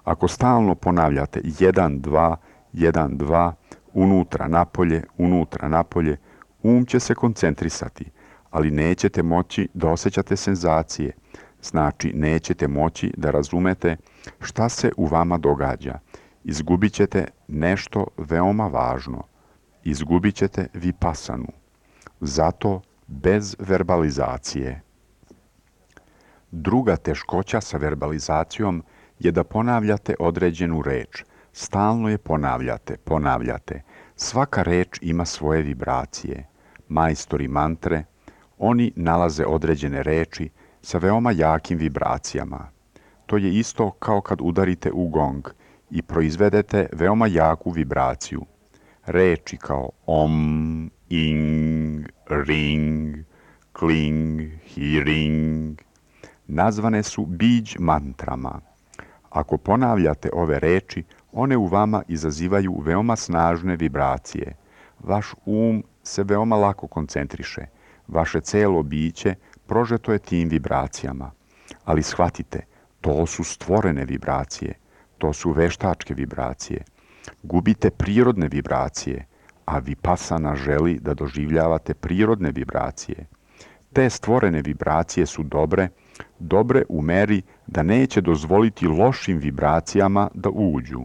Ako stalno ponavljate jedan, dva, jedan, dva, Unutra, napolje, unutra, napolje, um će se koncentrisati, ali nećete moći da osjećate senzacije, znači nećete moći da razumete šta se u vama događa. Izgubit ćete nešto veoma važno. Izgubit ćete vipasanu. Zato bez verbalizacije. Druga teškoća sa verbalizacijom je da ponavljate određenu reč. Stalno je ponavljate, ponavljate. Svaka reč ima svoje vibracije. Majstori mantre, oni nalaze određene reči sa veoma jakim vibracijama. To je isto kao kad udarite u gong i proizvedete veoma jaku vibraciju. Reči kao om, ing, ring, kling, hearing nazvane su biđ mantrama. Ako ponavljate ove reči, one u vama izazivaju veoma snažne vibracije. Vaš um se veoma lako koncentriše. Vaše celo biće prožeto je tim vibracijama. Ali shvatite, to su stvorene vibracije. To su veštačke vibracije. Gubite prirodne vibracije, a vipasana želi da doživljavate prirodne vibracije. Te stvorene vibracije su dobre, dobre u meri da neće dozvoliti lošim vibracijama da uđu.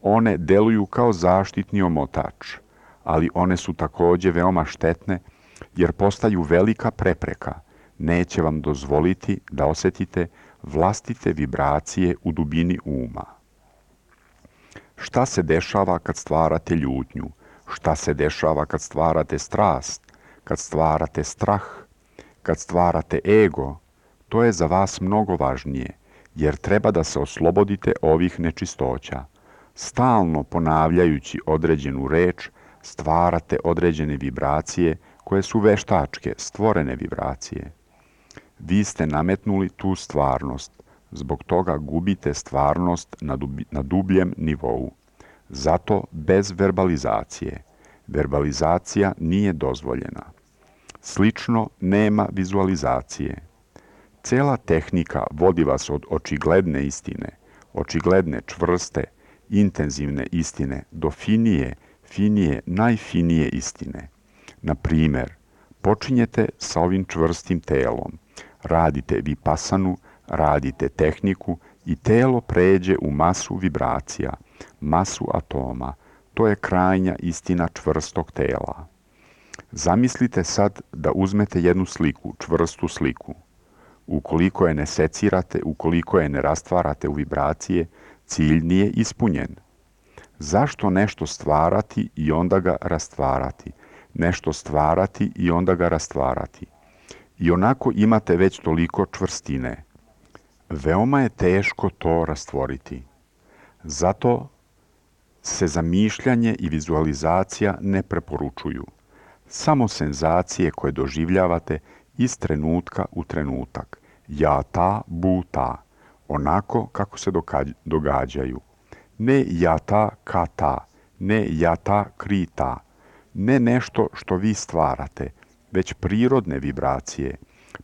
One deluju kao zaštitni omotač, ali one su također veoma štetne jer postaju velika prepreka. Neće vam dozvoliti da osjetite vlastite vibracije u dubini uma. Šta se dešava kad stvarate ljutnju? Šta se dešava kad stvarate strast? Kad stvarate strah? Kad stvarate ego? To je za vas mnogo važnije, jer treba da se oslobodite ovih nečistoća. Stalno ponavljajući određenu reč, stvarate određene vibracije koje su veštačke, stvorene vibracije. Vi ste nametnuli tu stvarnost, zbog toga gubite stvarnost na, dubi, na dubljem nivou. Zato bez verbalizacije. Verbalizacija nije dozvoljena. Slično nema vizualizacije. Cela tehnika vodi vas od očigledne istine, očigledne, čvrste, intenzivne istine do finije, finije, najfinije istine. Na primjer, počinjete sa ovim čvrstim telom, radite vipasanu, radite tehniku i telo pređe u masu vibracija, masu atoma. To je krajnja istina čvrstog tela. Zamislite sad da uzmete jednu sliku, čvrstu sliku. Ukoliko je ne secirate, ukoliko je ne rastvarate u vibracije, cilj nije ispunjen. Zašto nešto stvarati i onda ga rastvarati? Nešto stvarati i onda ga rastvarati. I onako imate već toliko čvrstine. Veoma je teško to rastvoriti. Zato se zamišljanje i vizualizacija ne preporučuju. Samo senzacije koje doživljavate iz trenutka u trenutak. Ja ta, bu ta. Onako kako se događaju. Ne ja ta, ka ta. Ne ja ta, kri ta. Ne nešto što vi stvarate, već prirodne vibracije,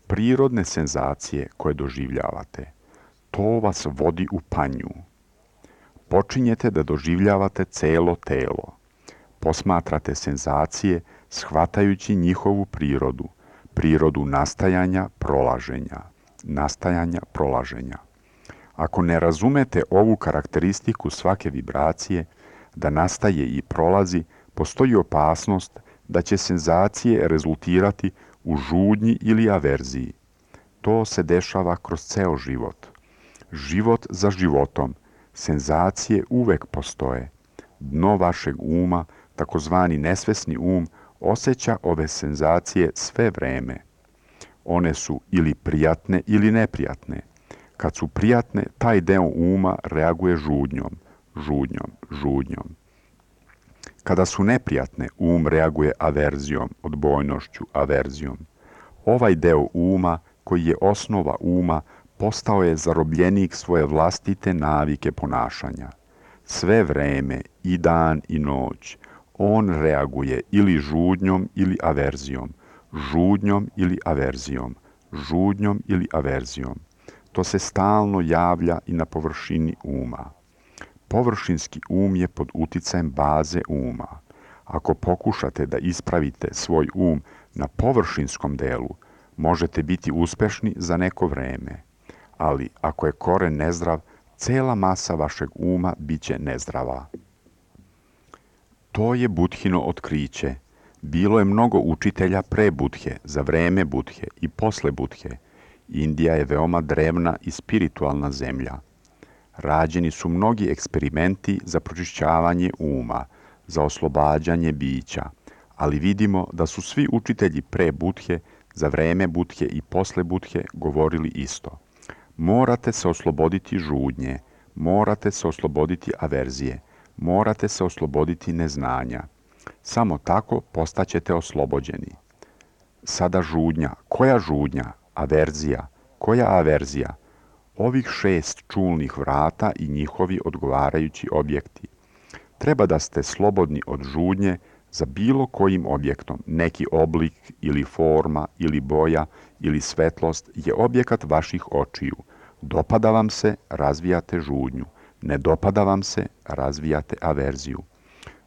prirodne senzacije koje doživljavate. To vas vodi u panju. Počinjete da doživljavate celo telo. Posmatrate senzacije shvatajući njihovu prirodu, prirodu nastajanja, prolaženja, nastajanja, prolaženja. Ako ne razumete ovu karakteristiku svake vibracije, da nastaje i prolazi, postoji opasnost da će senzacije rezultirati u žudnji ili averziji. To se dešava kroz ceo život. Život za životom. Senzacije uvek postoje. Dno vašeg uma, takozvani nesvesni um, osjeća ove senzacije sve vreme. One su ili prijatne ili neprijatne. Kad su prijatne, taj deo uma reaguje žudnjom, žudnjom, žudnjom. Kada su neprijatne, um reaguje averzijom, odbojnošću, averzijom. Ovaj deo uma, koji je osnova uma, postao je zarobljenik svoje vlastite navike ponašanja. Sve vreme, i dan i noć, on reaguje ili žudnjom ili averzijom, žudnjom ili averzijom, žudnjom ili averzijom. To se stalno javlja i na površini uma. Površinski um je pod uticajem baze uma. Ako pokušate da ispravite svoj um na površinskom delu, možete biti uspešni za neko vreme. Ali ako je koren nezdrav, cela masa vašeg uma biće nezdrava. To je Budhino otkriće. Bilo je mnogo učitelja pre Budhe, za vreme Budhe i posle Budhe. Indija je veoma drevna i spiritualna zemlja. Rađeni su mnogi eksperimenti za pročišćavanje uma, za oslobađanje bića, ali vidimo da su svi učitelji pre Budhe, za vreme Budhe i posle Budhe govorili isto. Morate se osloboditi žudnje, morate se osloboditi averzije, morate se osloboditi neznanja. Samo tako postaćete oslobođeni. Sada žudnja. Koja žudnja? Averzija. Koja averzija? Ovih šest čulnih vrata i njihovi odgovarajući objekti. Treba da ste slobodni od žudnje za bilo kojim objektom. Neki oblik ili forma ili boja ili svetlost je objekat vaših očiju. Dopada vam se, razvijate žudnju. Ne dopada vam se, razvijate averziju.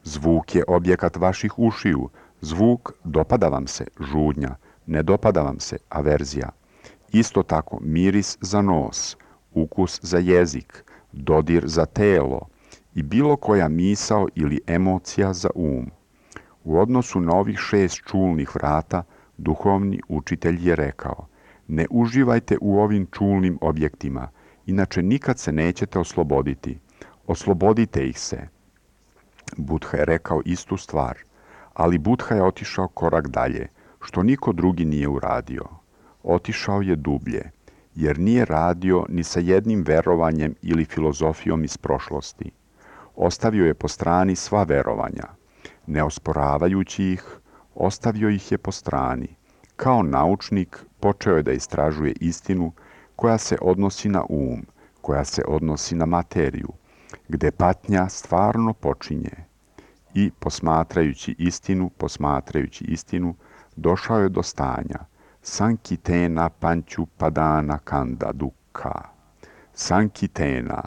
Zvuk je objekat vaših ušiju. Zvuk, dopada vam se, žudnja. Ne dopada vam se, averzija. Isto tako miris za nos, ukus za jezik, dodir za telo i bilo koja misao ili emocija za um. U odnosu na ovih šest čulnih vrata, duhovni učitelj je rekao: ne uživajte u ovim čulnim objektima, inače nikad se nećete osloboditi. Oslobodite ih se. Budha je rekao istu stvar, ali Budha je otišao korak dalje, što niko drugi nije uradio. Otišao je dublje, jer nije radio ni sa jednim verovanjem ili filozofijom iz prošlosti. Ostavio je po strani sva verovanja. Ne osporavajući ih, ostavio ih je po strani. Kao naučnik počeo je da istražuje istinu koja se odnosi na um, koja se odnosi na materiju, gde patnja stvarno počinje. I posmatrajući istinu, posmatrajući istinu, došao je do stanja Sankitena panću padana kanda dukkha. Sankitena,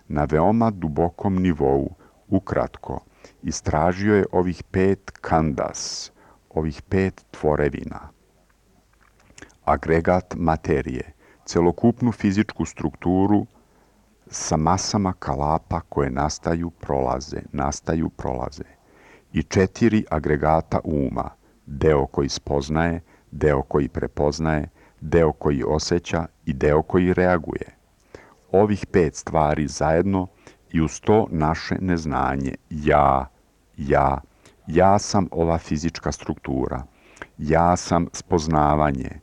na veoma dubokom nivou, ukratko, istražio je ovih pet kandas, ovih pet tvorevina. Agregat materije, celokupnu fizičku strukturu sa masama kalapa koje nastaju, prolaze, nastaju, prolaze. I četiri agregata uma, deo koji spoznaje, deo koji prepoznaje, deo koji osjeća i deo koji reaguje. Ovih pet stvari zajedno i uz to naše neznanje. Ja, ja, ja sam ova fizička struktura. Ja sam spoznavanje.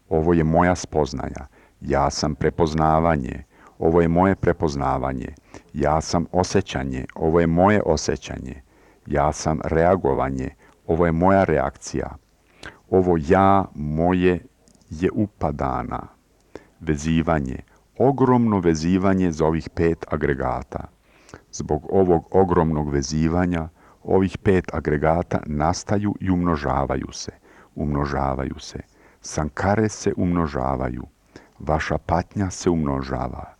Ovo je moja spoznaja. Ja sam prepoznavanje. Ovo je moje prepoznavanje. Ja sam osjećanje. Ovo je moje osjećanje. Ja sam reagovanje. Ovo je moja reakcija. Ovo ja, moje, je upadana. Vezivanje. Ogromno vezivanje za ovih pet agregata. Zbog ovog ogromnog vezivanja, ovih pet agregata nastaju i umnožavaju se. Umnožavaju se. Sankare se umnožavaju. Vaša patnja se umnožava.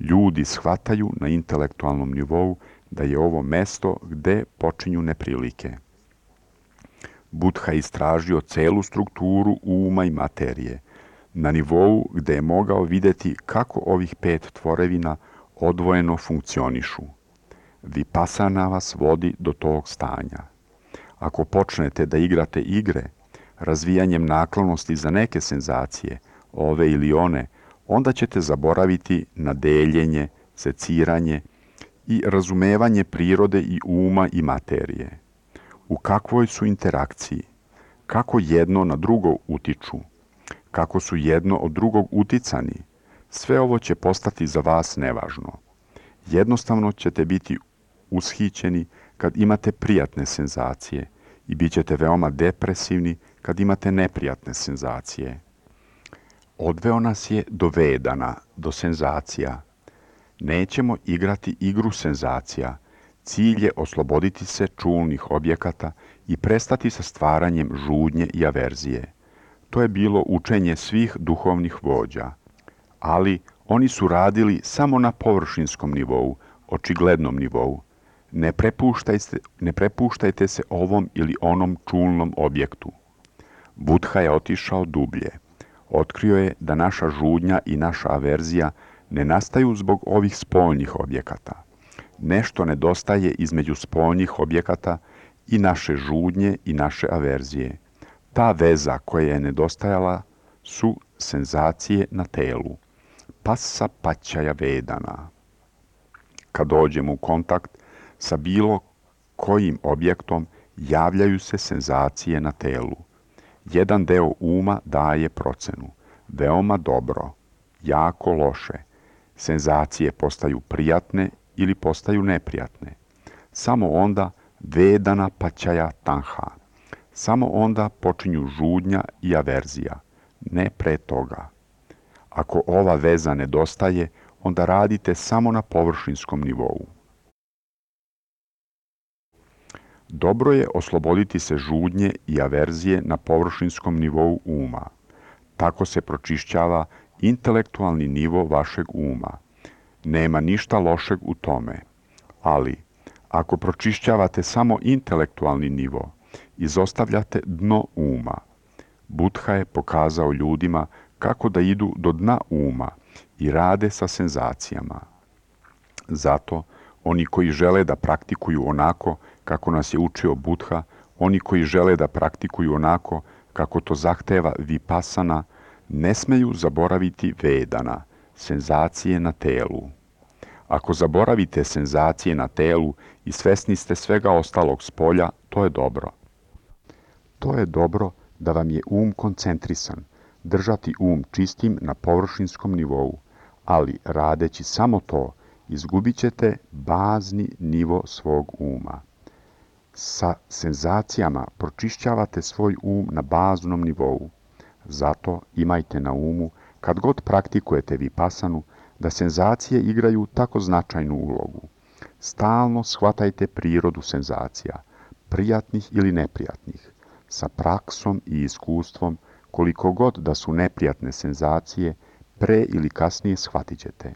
Ljudi shvataju na intelektualnom nivou da je ovo mesto gde počinju neprilike. Budha je istražio celu strukturu uma i materije, na nivou gde je mogao vidjeti kako ovih pet tvorevina odvojeno funkcionišu. Vipassana vas vodi do tog stanja. Ako počnete da igrate igre, razvijanjem naklonosti za neke senzacije, ove ili one, onda ćete zaboraviti na deljenje, seciranje i razumevanje prirode i uma i materije. U kakvoj su interakciji, kako jedno na drugo utiču, kako su jedno od drugog uticani, sve ovo će postati za vas nevažno. Jednostavno ćete biti ushićeni kad imate prijatne senzacije i bit ćete veoma depresivni kad imate neprijatne senzacije. Odveo nas je do vedana, do senzacija. Nećemo igrati igru senzacija. Cilj je osloboditi se čulnih objekata i prestati sa stvaranjem žudnje i averzije. To je bilo učenje svih duhovnih vođa. Ali oni su radili samo na površinskom nivou, očiglednom nivou. Ne prepuštajte, ne prepuštajte se ovom ili onom čulnom objektu. Buddha je otišao dublje. Otkrio je da naša žudnja i naša averzija ne nastaju zbog ovih spoljnih objekata. Nešto nedostaje između spoljnih objekata i naše žudnje i naše averzije. Ta veza koja je nedostajala su senzacije na telu. Passa pačaja vedana. Kad dođemo u kontakt sa bilo kojim objektom, javljaju se senzacije na telu. Jedan deo uma daje procenu. Veoma dobro, jako loše. Senzacije postaju prijatne ili postaju neprijatne. Samo onda vedana pačaja tanha. Samo onda počinju žudnja i averzija. Ne pre toga. Ako ova veza nedostaje, onda radite samo na površinskom nivou. Dobro je osloboditi se žudnje i averzije na površinskom nivou uma. Tako se pročišćava intelektualni nivo vašeg uma. Nema ništa lošeg u tome. Ali, ako pročišćavate samo intelektualni nivo, izostavljate dno uma. Buddha je pokazao ljudima kako da idu do dna uma i rade sa senzacijama. Zato, oni koji žele da praktikuju onako kako nas je učio Buddha, oni koji žele da praktikuju onako kako to zahteva vipassana, ne smeju zaboraviti vedana, senzacije na telu. Ako zaboravite senzacije na telu i svesni ste svega ostalog spolja, to je dobro. To je dobro da vam je um koncentrisan, držati um čistim na površinskom nivou, ali radeći samo to, izgubit ćete bazni nivo svog uma. Sa senzacijama pročišćavate svoj um na baznom nivou. Zato imajte na umu, kad god praktikujete vipassanu, da senzacije igraju tako značajnu ulogu. Stalno shvatajte prirodu senzacija, prijatnih ili neprijatnih. Sa praksom i iskustvom, koliko god da su neprijatne senzacije, pre ili kasnije shvatit ćete.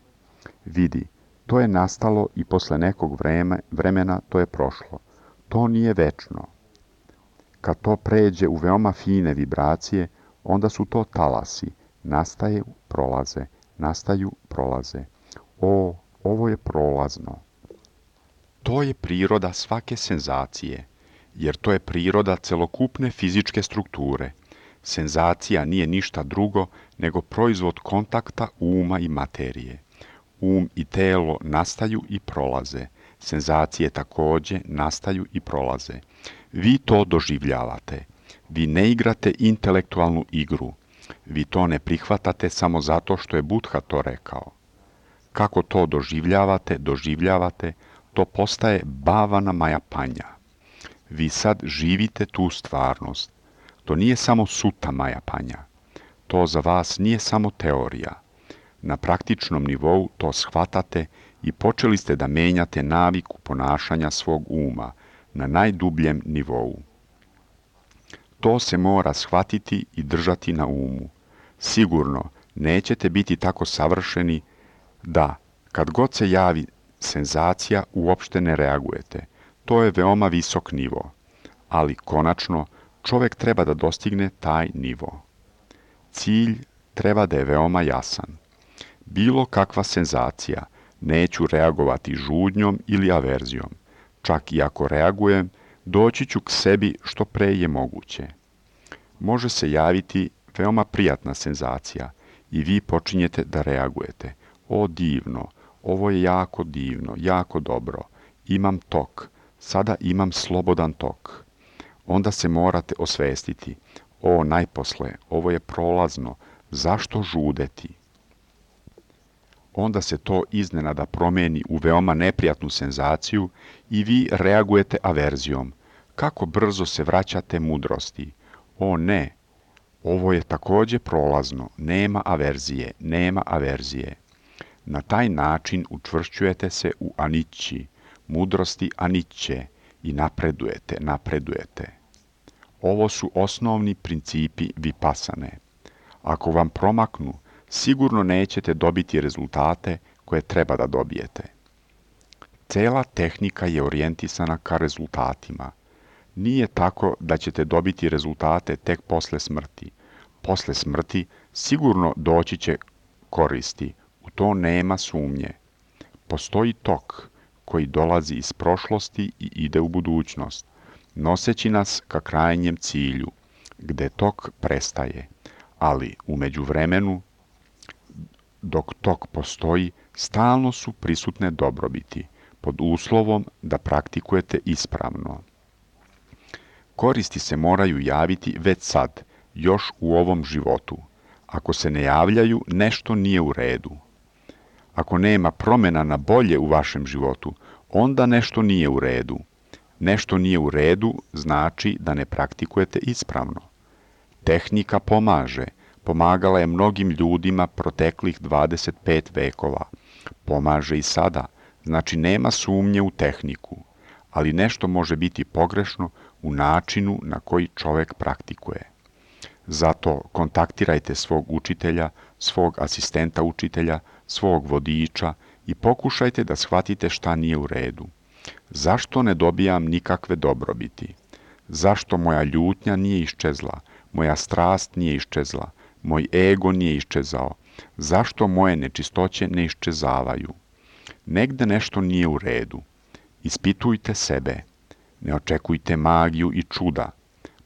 Vidi, to je nastalo i posle nekog vreme, vremena to je prošlo. To nije večno. Kad to pređe u veoma fine vibracije, onda su to talasi. Nastaje, prolaze, nastaju, prolaze. O, ovo je prolazno. To je priroda svake senzacije, jer to je priroda celokupne fizičke strukture. Senzacija nije ništa drugo nego proizvod kontakta uma i materije. Um i telo nastaju i prolaze. Senzacije takođe nastaju i prolaze. Vi to doživljavate. Vi ne igrate intelektualnu igru. Vi to ne prihvatate samo zato što je Buddha to rekao. Kako to doživljavate, doživljavate, to postaje bhavana majapanja. Vi sad živite tu stvarnost. To nije samo sutta majapanja. To za vas nije samo teorija. Na praktičnom nivou to shvatate i počeli ste da menjate naviku ponašanja svog uma na najdubljem nivou. To se mora shvatiti i držati na umu. Sigurno nećete biti tako savršeni da, kad god se javi senzacija, uopšte ne reagujete. To je veoma visok nivo, ali konačno čovek treba da dostigne taj nivo. Cilj treba da je veoma jasan. Bilo kakva senzacija, neću reagovati žudnjom ili averzijom. Čak i ako reagujem, doći ću k sebi što pre je moguće. Može se javiti veoma prijatna senzacija i vi počinjete da reagujete. O divno, ovo je jako divno, jako dobro. Imam tok, sada imam slobodan tok. Onda se morate osvestiti. O najposle, ovo je prolazno, zašto žudeti? Onda se to iznenada promeni u veoma neprijatnu senzaciju i vi reagujete averzijom. Kako brzo se vraćate mudrosti. O ne, ovo je takođe prolazno, nema averzije, nema averzije. Na taj način učvršćujete se u anići, mudrosti aniće i napredujete, napredujete. Ovo su osnovni principi vipassane. Ako vam promaknu, sigurno nećete dobiti rezultate koje treba da dobijete. Cela tehnika je orijentisana ka rezultatima. Nije tako da ćete dobiti rezultate tek posle smrti. Posle smrti sigurno doći će koristi, u to nema sumnje. Postoji tok koji dolazi iz prošlosti i ide u budućnost, noseći nas ka krajnjem cilju, gde tok prestaje, ali u međuvremenu, dok tok postoji, stalno su prisutne dobrobiti, pod uslovom da praktikujete ispravno. Koristi se moraju javiti već sad, još u ovom životu. Ako se ne javljaju, nešto nije u redu. Ako nema promjena na bolje u vašem životu, onda nešto nije u redu. Nešto nije u redu znači da ne praktikujete ispravno. Tehnika pomaže, pomagala je mnogim ljudima proteklih dvadeset pet vekova. Pomaže i sada, znači nema sumnje u tehniku, ali nešto može biti pogrešno u načinu na koji čovjek praktikuje. Zato kontaktirajte svog učitelja, svog asistenta učitelja, svog vodiča i pokušajte da shvatite šta nije u redu. Zašto ne dobijam nikakve dobrobiti? Zašto moja ljutnja nije iščezla, moja strast nije iščezla, moj ego nije iščezao? Zašto moje nečistoće ne iščezavaju? Negde nešto nije u redu. Ispitujte sebe. Ne očekujte magiju i čuda.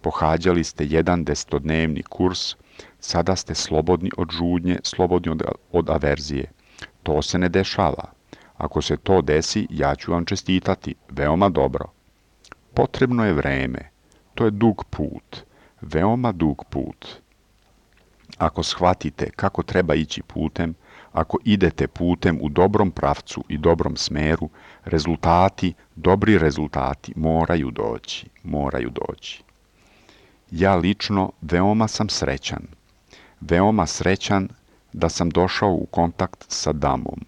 Pohađali ste jedan desetodnevni kurs, sada ste slobodni od žudnje, slobodni od, od averzije. To se ne dešava. Ako se to desi, ja ću vam čestitati. Veoma dobro. Potrebno je vreme. To je dug put. Veoma dug put. Ako shvatite kako treba ići putem, ako idete putem u dobrom pravcu i dobrom smeru, rezultati, dobri rezultati moraju doći, moraju doći. Ja lično veoma sam srećan. Veoma srećan da sam došao u kontakt sa Damom,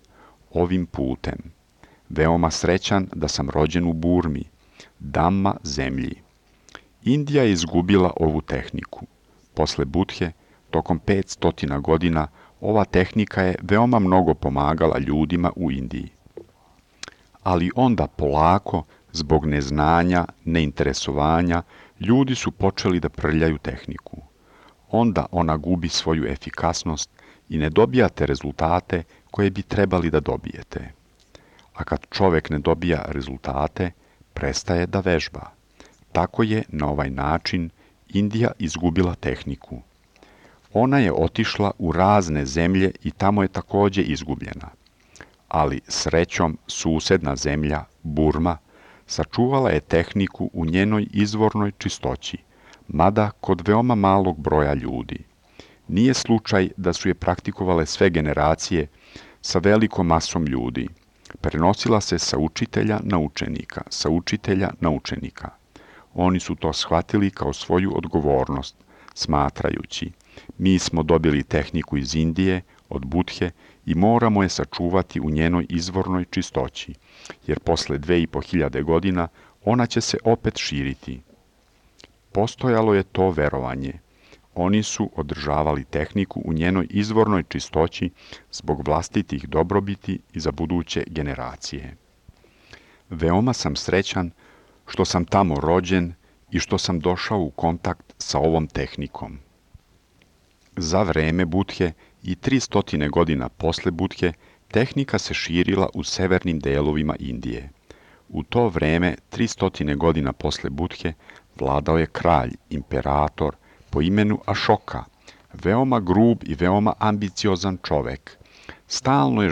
ovim putem. Veoma srećan da sam rođen u Burmi, Dhamma zemlji. Indija je izgubila ovu tehniku. Posle Budhe, tokom petsto godina, ova tehnika je veoma mnogo pomagala ljudima u Indiji. Ali onda polako, zbog neznanja, neinteresovanja, ljudi su počeli da prljaju tehniku. Onda ona gubi svoju efikasnost i ne dobijate rezultate koje bi trebali da dobijete. A kad čovjek ne dobija rezultate, prestaje da vežba. Tako je, na ovaj način, Indija izgubila tehniku. Ona je otišla u razne zemlje i tamo je takođe izgubljena. Ali srećom susedna zemlja, Burma, sačuvala je tehniku u njenoj izvornoj čistoći, mada kod veoma malog broja ljudi. Nije slučaj da su je praktikovale sve generacije sa velikom masom ljudi. Prenosila se sa učitelja na učenika, sa učitelja na učenika. Oni su to shvatili kao svoju odgovornost, smatrajući: mi smo dobili tehniku iz Indije, od Budhe, i moramo je sačuvati u njenoj izvornoj čistoći, jer posle dve i po hiljade godina ona će se opet širiti. Postojalo je to verovanje. Oni su održavali tehniku u njenoj izvornoj čistoći zbog vlastitih dobrobiti i za buduće generacije. Veoma sam srećan što sam tamo rođen i što sam došao u kontakt sa ovom tehnikom. Za vreme Budhe i tristo godina posle Budhe, tehnika se širila u severnim delovima Indije. U to vreme, tristo godina posle Budhe, vladao je kralj, imperator, po imenu Ašoka, veoma grub i veoma ambiciozan čovek. Stalno je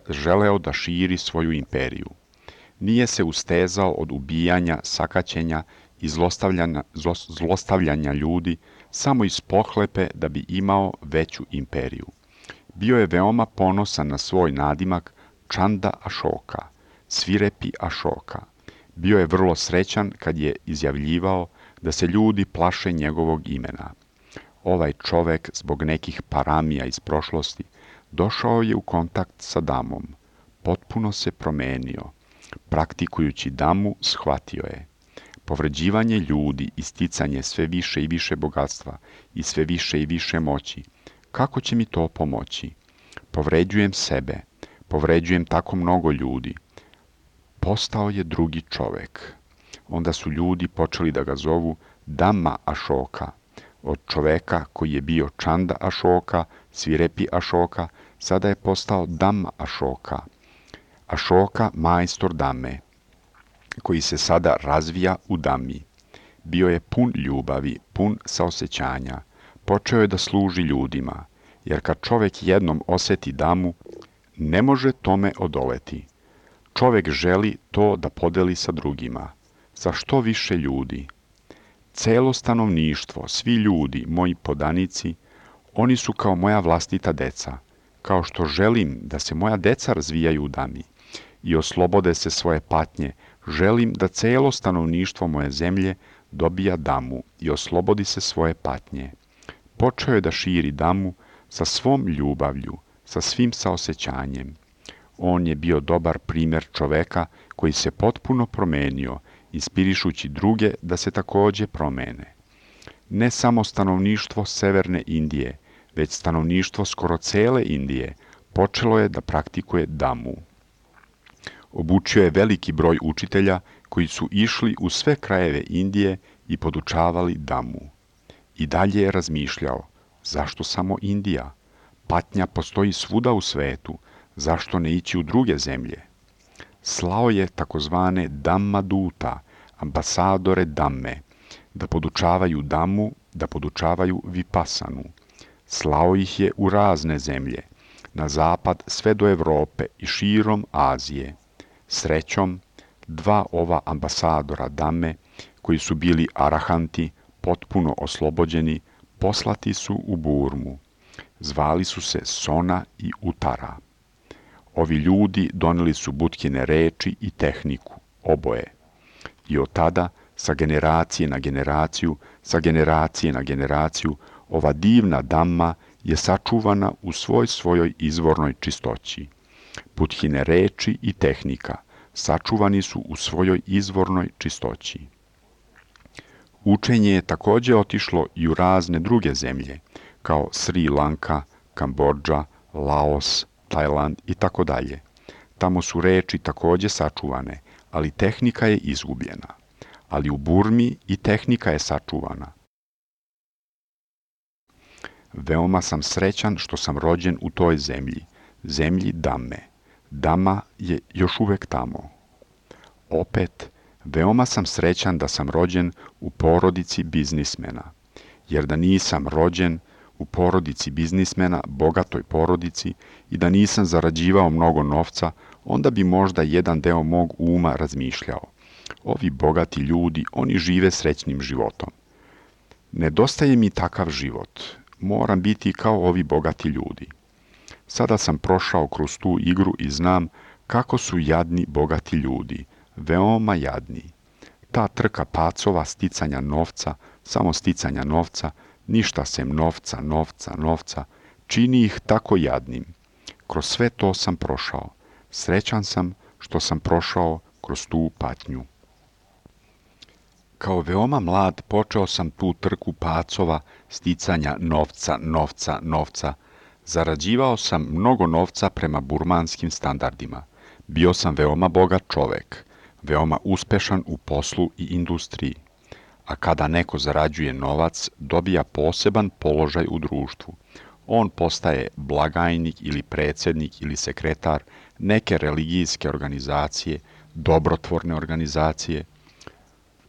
želeo da širi svoju imperiju. Nije se ustezao od ubijanja, sakaćenja i zlostavljanja, zlostavljanja ljudi samo iz pohlepe da bi imao veću imperiju. Bio je veoma ponosan na svoj nadimak Čanda Ašoka, svirepi Ašoka. Bio je vrlo srećan kad je izjavljivao da se ljudi plaše njegovog imena. Ovaj čovek, zbog nekih paramija iz prošlosti, došao je u kontakt sa Damom. Potpuno se promenio. Praktikujući Damu, shvatio je: povređivanje ljudi i sticanje sve više i više bogatstva i sve više i više moći, kako će mi to pomoći? Povređujem sebe, povređujem tako mnogo ljudi. postao je drugi čovek. Onda su ljudi počeli da ga zovu Dhamma Ašoka. Od čoveka koji je bio Čanda Ašoka, svirepi Ašoka, sada je postao Dhamma Ašoka. Ašoka, majstor Dame, koji se sada razvija u Dami. Bio je pun ljubavi, pun saosećanja. Počeo je da služi ljudima, jer kad čovek jednom oseti Damu, ne može tome odoleti. Čovek želi to da podeli sa drugima, sa što više ljudi. Celo stanovništvo, svi ljudi, moji podanici, oni su kao moja vlastita deca, kao što želim da se moja deca razvijaju u Dami i oslobode se svoje patnje, želim da celo stanovništvo moje zemlje dobija Damu i oslobodi se svoje patnje. Počeo je da širi Damu sa svom ljubavlju, sa svim saosećanjem. On je bio dobar primjer čoveka koji se potpuno promenio, inspirišući druge da se takođe promene. Ne samo stanovništvo Severne Indije, već stanovništvo skoro cele Indije počelo je da praktikuje Damu. Obučio je veliki broj učitelja koji su išli u sve krajeve Indije i podučavali Damu. I dalje je razmišljao, zašto samo Indija? Patnja postoji svuda u svetu, zašto ne ići u druge zemlje? Slao je takozvane Dhammaduta, ambasadore Damme, da podučavaju Damu, da podučavaju Vipasanu. Slao ih je u razne zemlje, na zapad sve do Evrope i širom Azije. Srećom, dva ova ambasadora Dame, koji su bili arahanti, potpuno oslobođeni, poslati su u Burmu. Zvali su se Sona i Utara. Ovi ljudi doneli su Butkine reči i tehniku, oboje. I od tada, sa generacije na generaciju, sa generacije na generaciju, ova divna Dhamma je sačuvana u svoj svojoj izvornoj čistoći. Butkine reči i tehnika sačuvani su u svojoj izvornoj čistoći. Učenje je takođe otišlo i u razne druge zemlje, kao Sri Lanka, Kambodža, Laos, Tajland i tako dalje. Tamo su reči takođe sačuvane, ali tehnika je izgubljena. Ali u Burmi i tehnika je sačuvana. Veoma sam srećan što sam rođen u toj zemlji, zemlji Dame. Dama je još uvek tamo. Opet, veoma sam srećan da sam rođen u porodici biznismena, jer da nisam rođen u porodici biznismena, bogatoj porodici, i da nisam zarađivao mnogo novca, onda bi možda jedan deo mog uma razmišljao. Ovi bogati ljudi, oni žive srećnim životom. Nedostaje mi takav život. Moram biti kao ovi bogati ljudi. Sada sam prošao kroz tu igru i znam kako su jadni bogati ljudi, veoma jadni. Ta trka pacova sticanja novca, samo sticanja novca, ništa sem novca, novca, novca, čini ih tako jadnim. Kroz sve to sam prošao. Srećan sam što sam prošao kroz tu patnju. Kao veoma mlad počeo sam tu trku pacova sticanja novca, novca, novca. Zarađivao sam mnogo novca prema burmanskim standardima. Bio sam veoma bogat čovek, veoma uspešan u poslu i industriji. A kada neko zarađuje novac, dobija poseban položaj u društvu. On postaje blagajnik ili predsjednik ili sekretar neke religijske organizacije, dobrotvorne organizacije.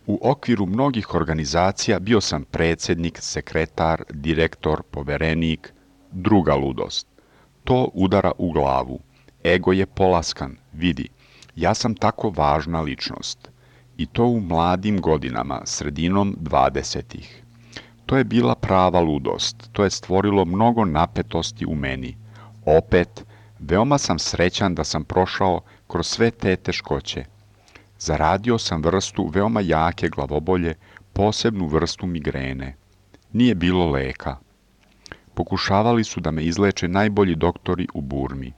U okviru mnogih organizacija bio sam predsjednik, sekretar, direktor, poverenik, druga ludost. To udara u glavu. Ego je polaskan, vidi. Ja sam tako važna ličnost. I to u mladim godinama, sredinom dvadesetih. To je bila prava ludost. To je stvorilo mnogo napetosti u meni. Opet, veoma sam srećan da sam prošao kroz sve te teškoće. Zaradio sam vrstu veoma jake glavobolje, posebnu vrstu migrene. Nije bilo leka. Pokušavali su da me izleče najbolji doktori u Burmi.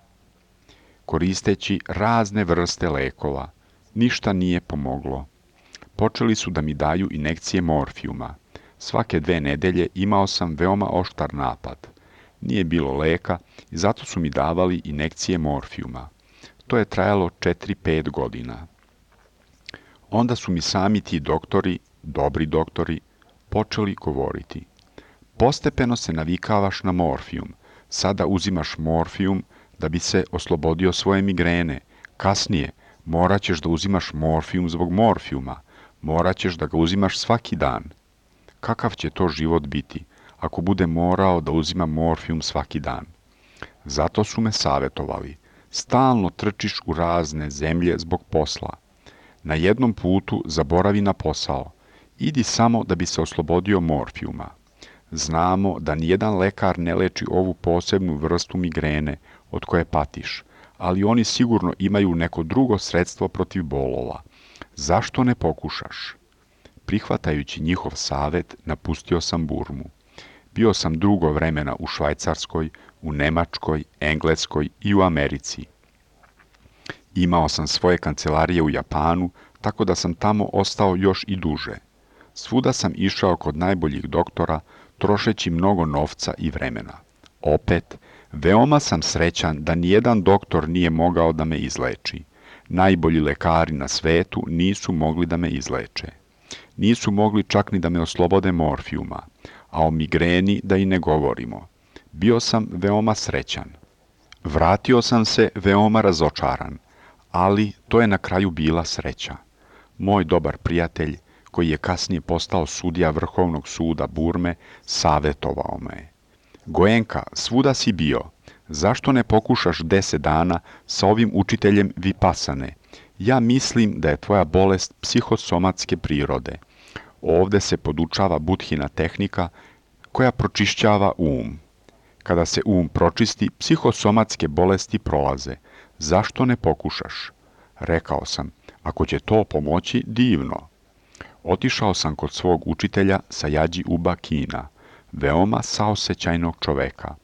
Koristeći razne vrste lekova, ništa nije pomoglo. Počeli su da mi daju injekcije morfijuma. Svake dve nedelje imao sam veoma oštar napad. Nije bilo leka i zato su mi davali injekcije morfijuma. To je trajalo četiri pet godina. Onda su mi sami ti doktori, dobri doktori, počeli govoriti. Postepeno se navikavaš na morfijum. Sada uzimaš morfijum da bi se oslobodio svoje migrene. Kasnije morat ćeš da uzimaš morfijum zbog morfijuma. Morat ćeš da ga uzimaš svaki dan. Kakav će to život biti ako bude morao da uzima morfijum svaki dan? Zato su me savjetovali. Stalno trčiš u razne zemlje zbog posla. Na jednom putu zaboravi na posao. Idi samo da bi se oslobodio morfijuma. Znamo da nijedan lekar ne leči ovu posebnu vrstu migrene od koje patiš, ali oni sigurno imaju neko drugo sredstvo protiv bolova. Zašto ne pokušaš? Prihvatajući njihov savjet, napustio sam Burmu. Bio sam dugo vremena u Švajcarskoj, u Nemačkoj, Engleskoj i u Americi. Imao sam svoje kancelarije u Japanu, tako da sam tamo ostao još i duže. Svuda sam išao kod najboljih doktora, trošeći mnogo novca i vremena. Opet, veoma sam srećan da nijedan doktor nije mogao da me izleči. Najbolji lekari na svetu nisu mogli da me izleče. Nisu mogli čak ni da me oslobode morfijuma, a o migreni da i ne govorimo. Bio sam veoma srećan. Vratio sam se veoma razočaran, ali to je na kraju bila sreća. Moj dobar prijatelj, koji je kasnije postao sudija Vrhovnog suda Burme, savjetovao me je. Goenka, svuda si bio. Zašto ne pokušaš deset dana sa ovim učiteljem Vipasane? Ja mislim da je tvoja bolest psihosomatske prirode. Ovde se podučava Budhina tehnika koja pročišćava um. Kada se um pročisti, psihosomatske bolesti prolaze. Zašto ne pokušaš? Rekao sam, ako će to pomoći, divno. Otišao sam kod svog učitelja Sajađi Uba Kina, veoma saosećajnog čoveka.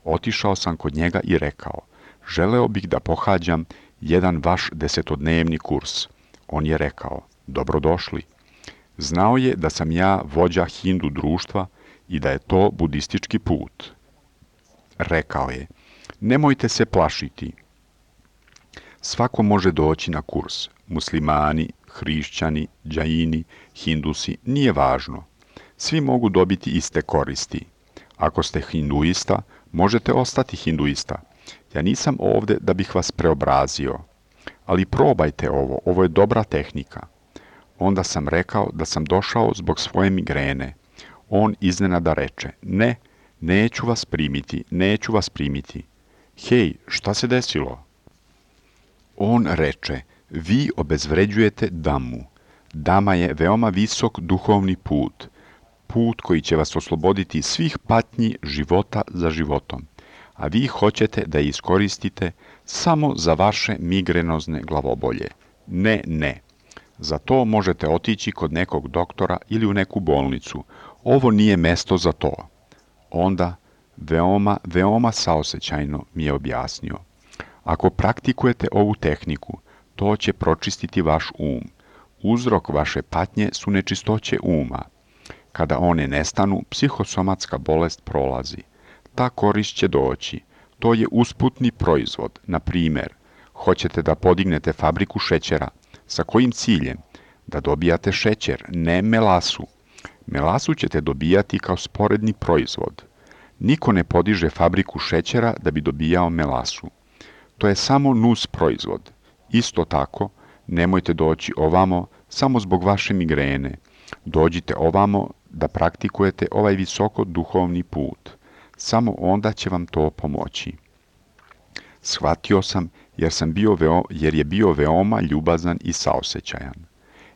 Otišao sam kod njega i rekao, želeo bih da pohađam jedan vaš desetodnevni kurs. On je rekao, dobrodošli. Znao je da sam ja vođa Hindu društva i da je to budistički put. Rekao je, nemojte se plašiti. Svako može doći na kurs. Muslimani, hrišćani, džaini, hindusi, nije važno. Svi mogu dobiti iste koristi. Ako ste hinduista, možete ostati hinduista. Ja nisam ovde da bih vas preobrazio. Ali probajte ovo, ovo je dobra tehnika. Onda sam rekao da sam došao zbog svoje migrene. On iznenada reče, ne, neću vas primiti, neću vas primiti. Hej, šta se desilo? On reče, vi obezvređujete Damu. Dama je veoma visok duhovni put, put koji će vas osloboditi svih patnji života za životom, a vi hoćete da je iskoristite samo za vaše migrenozne glavobolje. Ne, ne. Za to možete otići kod nekog doktora ili u neku bolnicu. Ovo nije mesto za to. Onda, veoma, veoma saosećajno mi je objasnio. Ako praktikujete ovu tehniku, to će pročistiti vaš um. Uzrok vaše patnje su nečistoće uma. Kada one nestanu, psihosomatska bolest prolazi. Ta korist će doći. To je usputni proizvod. Na primjer, hoćete da podignete fabriku šećera. Sa kojim ciljem? Da dobijate šećer, ne melasu. Melasu ćete dobijati kao sporedni proizvod. Niko ne podiže fabriku šećera da bi dobijao melasu. To je samo nus proizvod. Isto tako, nemojte doći ovamo samo zbog vaše migrene. Dođite ovamo da praktikujete ovaj visoko duhovni put. Samo onda će vam to pomoći. Shvatio sam jer, sam bio veo, jer je bio veoma ljubazan i saosećajan.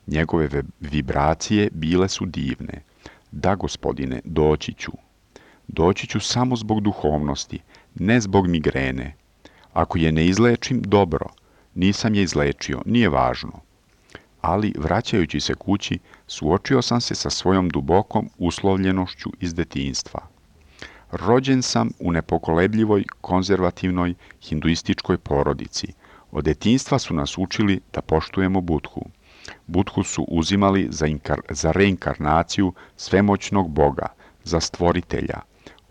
Njegove vibracije bile su divne. Da, gospodine, doći ću. Doći ću samo zbog duhovnosti, ne zbog migrene. Ako je ne izlečim, dobro. Nisam je izlečio, nije važno. Ali, vraćajući se kući, suočio sam se sa svojom dubokom uslovljenošću iz detinjstva. Rođen sam u nepokolebljivoj, konzervativnoj, hinduističkoj porodici. Od detinjstva su nas učili da poštujemo Budhu. Budhu su uzimali za, inkar, za reinkarnaciju svemoćnog Boga, za stvoritelja.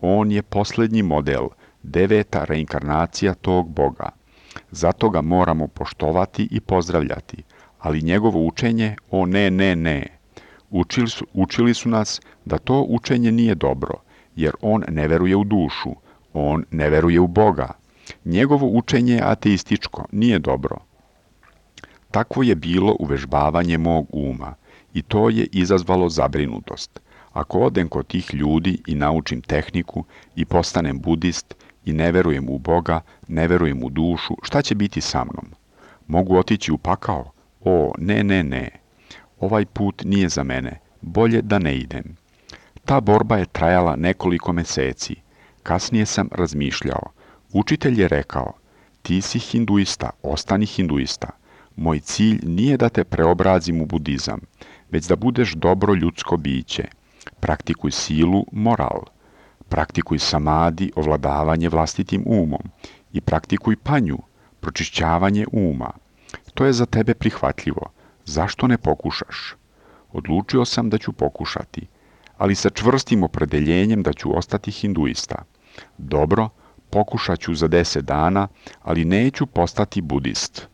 On je posljednji model, deveta reinkarnacija tog Boga. Zato ga moramo poštovati i pozdravljati, ali njegovo učenje, o ne, ne, ne. Učili su, učili su nas da to učenje nije dobro, jer on ne veruje u dušu, on ne veruje u Boga. Njegovo učenje je ateističko, nije dobro. Takvo je bilo uvežbavanje mog uma i to je izazvalo zabrinutost. Ako odem kod tih ljudi i naučim tehniku i postanem budist i ne verujem u Boga, ne verujem u dušu, šta će biti sa mnom? Mogu otići u pakao? O, ne, ne, ne. Ovaj put nije za mene. Bolje da ne idem. Ta borba je trajala nekoliko meseci. Kasnije sam razmišljao. Učitelj je rekao, ti si hinduista, ostani hinduista. Moj cilj nije da te preobrazim u budizam, već da budeš dobro ljudsko biće. Praktikuj silu, moral. Praktikuj samadi, ovladavanje vlastitim umom. I praktikuj panju, pročišćavanje uma. To je za tebe prihvatljivo. Zašto ne pokušaš? Odlučio sam da ću pokušati, ali sa čvrstim opredeljenjem da ću ostati hinduista. Dobro, pokušat ću za deset dana, ali neću postati budist.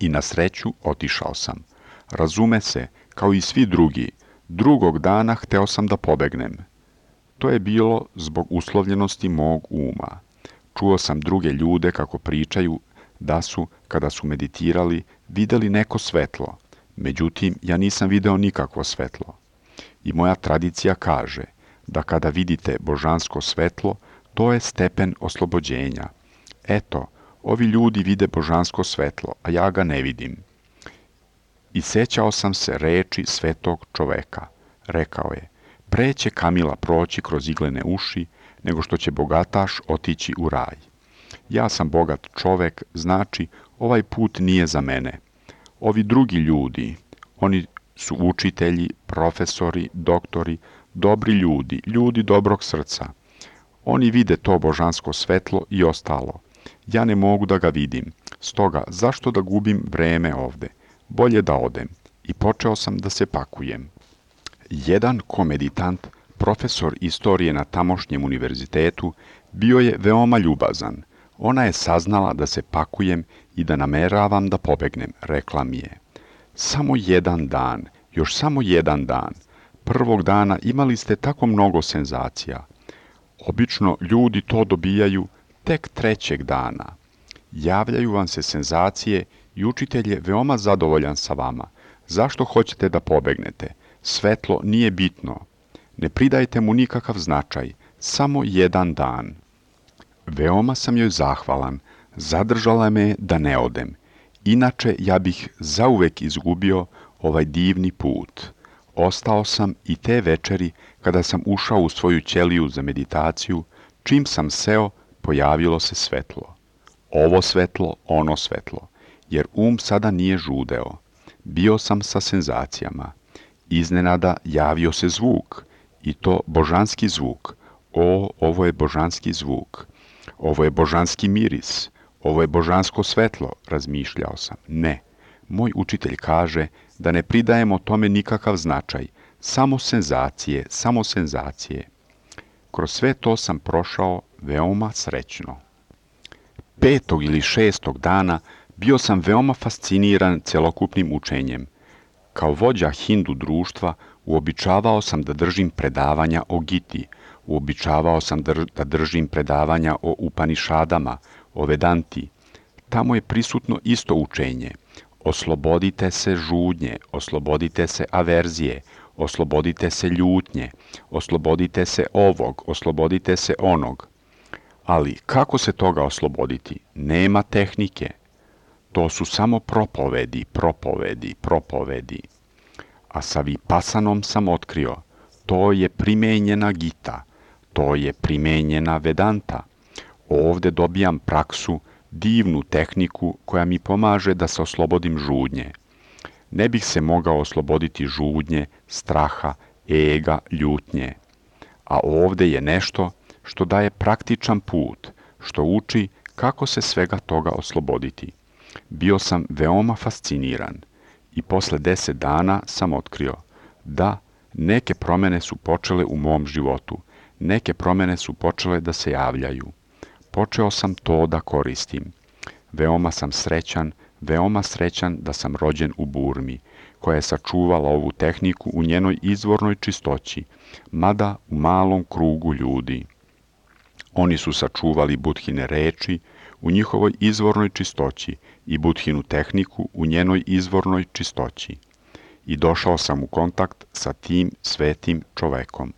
I na sreću otišao sam. Razume se, kao i svi drugi, drugog dana hteo sam da pobegnem. To je bilo zbog uslovljenosti mog uma. Čuo sam druge ljude kako pričaju da su, kada su meditirali, videli neko svetlo. Međutim, ja nisam video nikakvo svetlo. I moja tradicija kaže da kada vidite božansko svetlo, to je stepen oslobođenja. Eto, ovi ljudi vide božansko svetlo, a ja ga ne vidim. I sećao sam se reči svetog čoveka. Rekao je, pre će Kamila proći kroz iglene uši, nego što će bogataš otići u raj. Ja sam bogat čovek, znači ovaj put nije za mene. Ovi drugi ljudi, oni su učitelji, profesori, doktori, dobri ljudi, ljudi dobrog srca. Oni vide to božansko svetlo i ostalo. Ja ne mogu da ga vidim, stoga zašto da gubim vreme ovde? Bolje da odem. I počeo sam da se pakujem. Jedan komeditant, profesor istorije na tamošnjem univerzitetu, bio je veoma ljubazan. Ona je saznala da se pakujem i da nameravam da pobegnem, rekla mi je. Samo jedan dan, još samo jedan dan. Prvog dana imali ste tako mnogo senzacija. Obično ljudi to dobijaju tek trećeg dana. Javljaju vam se senzacije i učitelj je veoma zadovoljan sa vama. Zašto hoćete da pobegnete? Svetlo nije bitno. Ne pridajte mu nikakav značaj. Samo jedan dan. Veoma sam joj zahvalan. Zadržala me da ne odem. Inače, ja bih zauvek izgubio ovaj divni put. Ostao sam i te večeri kada sam ušao u svoju ćeliju za meditaciju, čim sam seo, pojavilo se svetlo. Ovo svetlo, ono svetlo, jer um sada nije žudeo. Bio sam sa senzacijama. Iznenada javio se zvuk, i to božanski zvuk. O, ovo je božanski zvuk. Ovo je božanski miris. Ovo je božansko svetlo, razmišljao sam. Ne, moj učitelj kaže da ne pridajemo tome nikakav značaj, samo senzacije, samo senzacije. Kroz sve to sam prošao veoma srećno. Petog ili šestog dana bio sam veoma fasciniran celokupnim učenjem. Kao vođa hindu društva uobičavao sam da držim predavanja o Giti, uobičavao sam da držim predavanja o Upanišadama, o Vedanti. Tamo je prisutno isto učenje. Oslobodite se žudnje, oslobodite se averzije, oslobodite se ljutnje, oslobodite se ovog, oslobodite se onog. Ali kako se toga osloboditi? Nema tehnike. To su samo propovedi, propovedi, propovedi. A sa vipasanom sam otkrio, to je primenjena Gita, to je primenjena Vedanta. Ovde dobijam praksu, divnu tehniku koja mi pomaže da se oslobodim žudnje. Ne bih se mogao osloboditi žudnje, straha, ega, ljutnje. A ovde je nešto što daje praktičan put, što uči kako se svega toga osloboditi. Bio sam veoma fasciniran i posle deset dana sam otkrio da neke promene su počele u mom životu, neke promene su počele da se javljaju. Počeo sam to da koristim. Veoma sam srećan, veoma srećan da sam rođen u Burmi, koja je sačuvala ovu tehniku u njenoj izvornoj čistoći, mada u malom krugu ljudi. Oni su sačuvali Budhine reči u njihovoj izvornoj čistoći i Budhinu tehniku u njenoj izvornoj čistoći. I došao sam u kontakt sa tim svetim čovekom.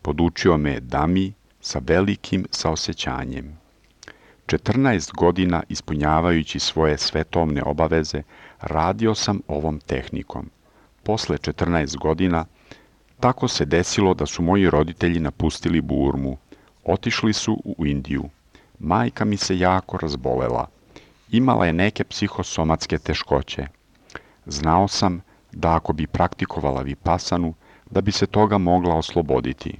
Podučio me Dami sa velikim saosjećanjem. četrnaest godina ispunjavajući svoje svetovne obaveze, radio sam ovom tehnikom. Posle četrnaest godina, tako se desilo da su moji roditelji napustili Burmu. Otišli su u Indiju. Majka mi se jako razbolela. Imala je neke psihosomatske teškoće. Znao sam da ako bi praktikovala vipasanu, da bi se toga mogla osloboditi.